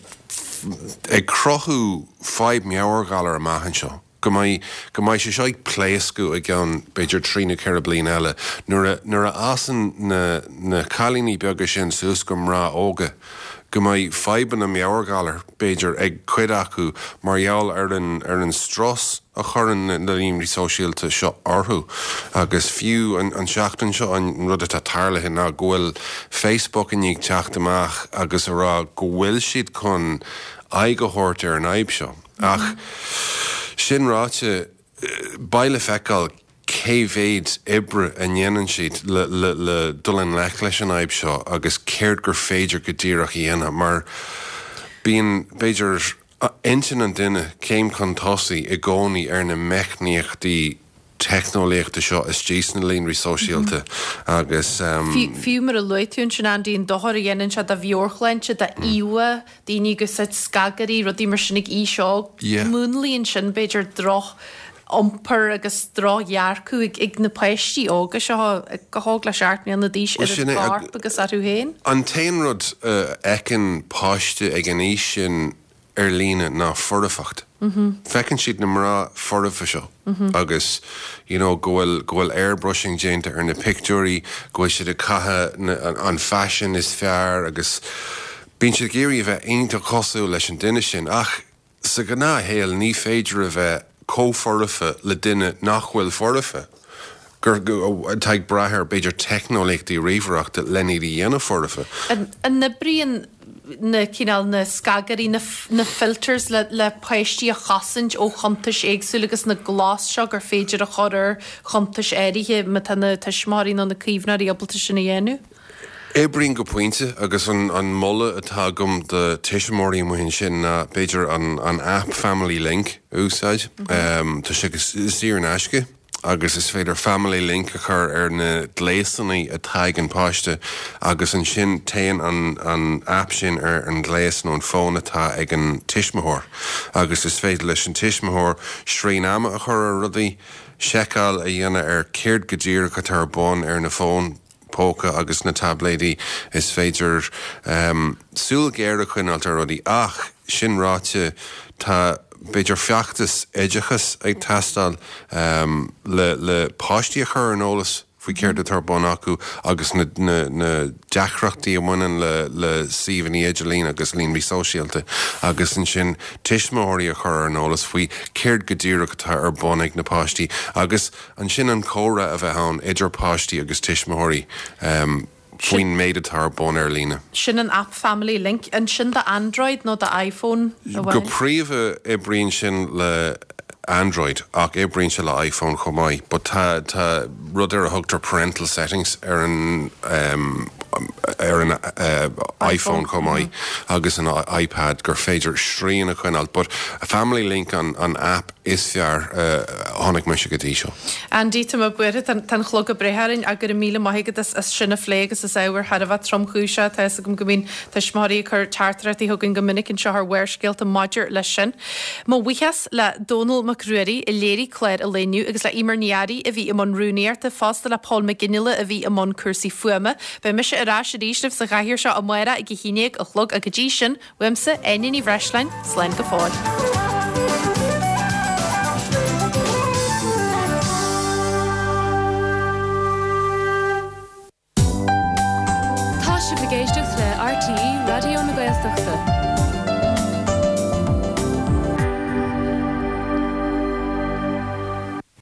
ag cruthú fadhb meabhairghalar amach anseo, go mbeidh, go mbeidh sé seo ag pléascadh i gceann b'fhéidir 3 nó 4 bliana eile, nuair a, nuair a fhásann na, na cailíní beaga sin suas go mná óga, go mbeidh fadhbanna meabhairghalar, b'fhéidir, ag cuid acu mar gheall ar an, ar an strus a chuireann na líonraí sóisialta seo orthu. Agus fiú an, an tseachtain seo an rud atá tarlaithe ná go bhfuil Facebook i ndiaidh teacht amach agus a rá go bhfuil siad chun aghaidh a thabhairt ar an fhadhb seo. Ach sin ráite, beidh le feiceáil cé mhéid oibre a ndéanann siad le dul i ngleic leis an fhadhb seo agus céard gur féidir go díreach a dhéanamh mar bíonn, b'fhéidir, intinn an duine céim chun tosaigh i gcónaí ar na meicníochtaí teicneolaíochta seo istigh sna líonraí sóisialta agus. Fiú mar a luaigh tú ansin, Andy, an dochar a dhéanann sé do mheabhairshláinte, d'íomhá, daoine ag úsáid scagairí, rudaí mar sin ag aois óg. Múnlaíonn sin, b'fhéidir, droch iompar agus drochdhearcadh ag na páistí óga seo, chomh hóg le 7 mbliana d'aois, ar a gcorp agus orthu féin. An t-aon rud a fheiceann páiste ag an aois sin ar líne ná foirfeacht. Feiceann siad na mná foirfe seo agus you know go bhfuil, go bhfuil airbrushing déanta ar na pictiúirí, go bhfuil siad ag caitheamh an faisean is fearr agus bíonn siad ag iarraidh a bheith iontach cosúil leis an duine sin ach sa ghnáthshaol ní féidir a bheith chomh foirfe le duine nach bhfuil foirfe, gur, atá ag brath ar b'fhéidir teicneolaíochtaí ríomhaireachta len iad a dhéanamh foirfe. An oibríonn na cineál, na scagairí, na na filters le le páistí a chosaint ó chuntais éagsúla agus na glas seo gur féidir a chur ar chuntais áirithe má tá na tuismitheoirí nó na caomhnóirí ábalta sin a dhéanamh? Oibríonn go pointe agus an an moladh atá agam do tuismitheoirí amuigh ansin ná b'fhéidir an an app Family Link a úsáid. Tá sé saor in aisce agus is féidir Family Link a chur ar na gléasanna atá ag an páiste agus ansin téann an an app sin ar an ghléas nó an fón atá ag an tuismitheoir agus is féidir leis an tuismitheoir srian ama a chur ar rudaí, seiceáil a dhéanamh ar céard go díreach atá ar bun ar na fóin póca agus na taibléidí, is féidir súil ghéar a choinneáilt ar rudaí. Ach, sin ráite, tá, b'fhéidir, feachtas oideachais ag teastáil le le páistí a chur ar an eolas faoi céard atá ar bun acu agus na na deacrachtaí a bhaineann le le suíomhanna idirlín agus líonraí sóisialta agus ansin tuismitheoirí a chur ar an eolas faoi céard go díreach atá ar bun ag na páistí agus Ansin an comhrá a bheith ann idir páistí agus tuismitheoirí faoin méid atá ar bun ar líne. Sin an aip Family Link. An sin do Android nó do iPhone amháin? Go príomha oibríonn sin le Android ach oibríonn sé le iPhone chomh maith. But tá tá rud ar a thugtar parental settings ar an ar an iPhone chomh maith agus an iPad gur féidir srian a choinneáil. But Family Link an an aip is fearr a chonaic mise go dtí seo. Andy, tá mé buartha, tá an clog ag breith orainn ach go raibh míle maith agat as sin a phlé agus is ábhar thar a bheith tromchúiseach. Tá fhios agam go mbíonn tuismitheoirí ag cur teachtaireachtaí chugainn go minic anseo ar Bharrscéalta maidir leis sin. Mo bhuíochas le Dónall Mac Ruairí a léirigh clár an lae inniu agus le Eimear Ní Fhearraigh a bhí i mbun rúnaíochta, fosta le Paul McGinley a bhí i mbun cúrsaí fuaime. Beidh mise ar ais arís libh sa chathaoir seo amárach ag 11 a chlog ach go dtí sin, Uaimse, Áine Ní Bhreisleáin, slán go fóill. Tá sibh ag éisteacht le RTÉ Raidió na Gaeltachta.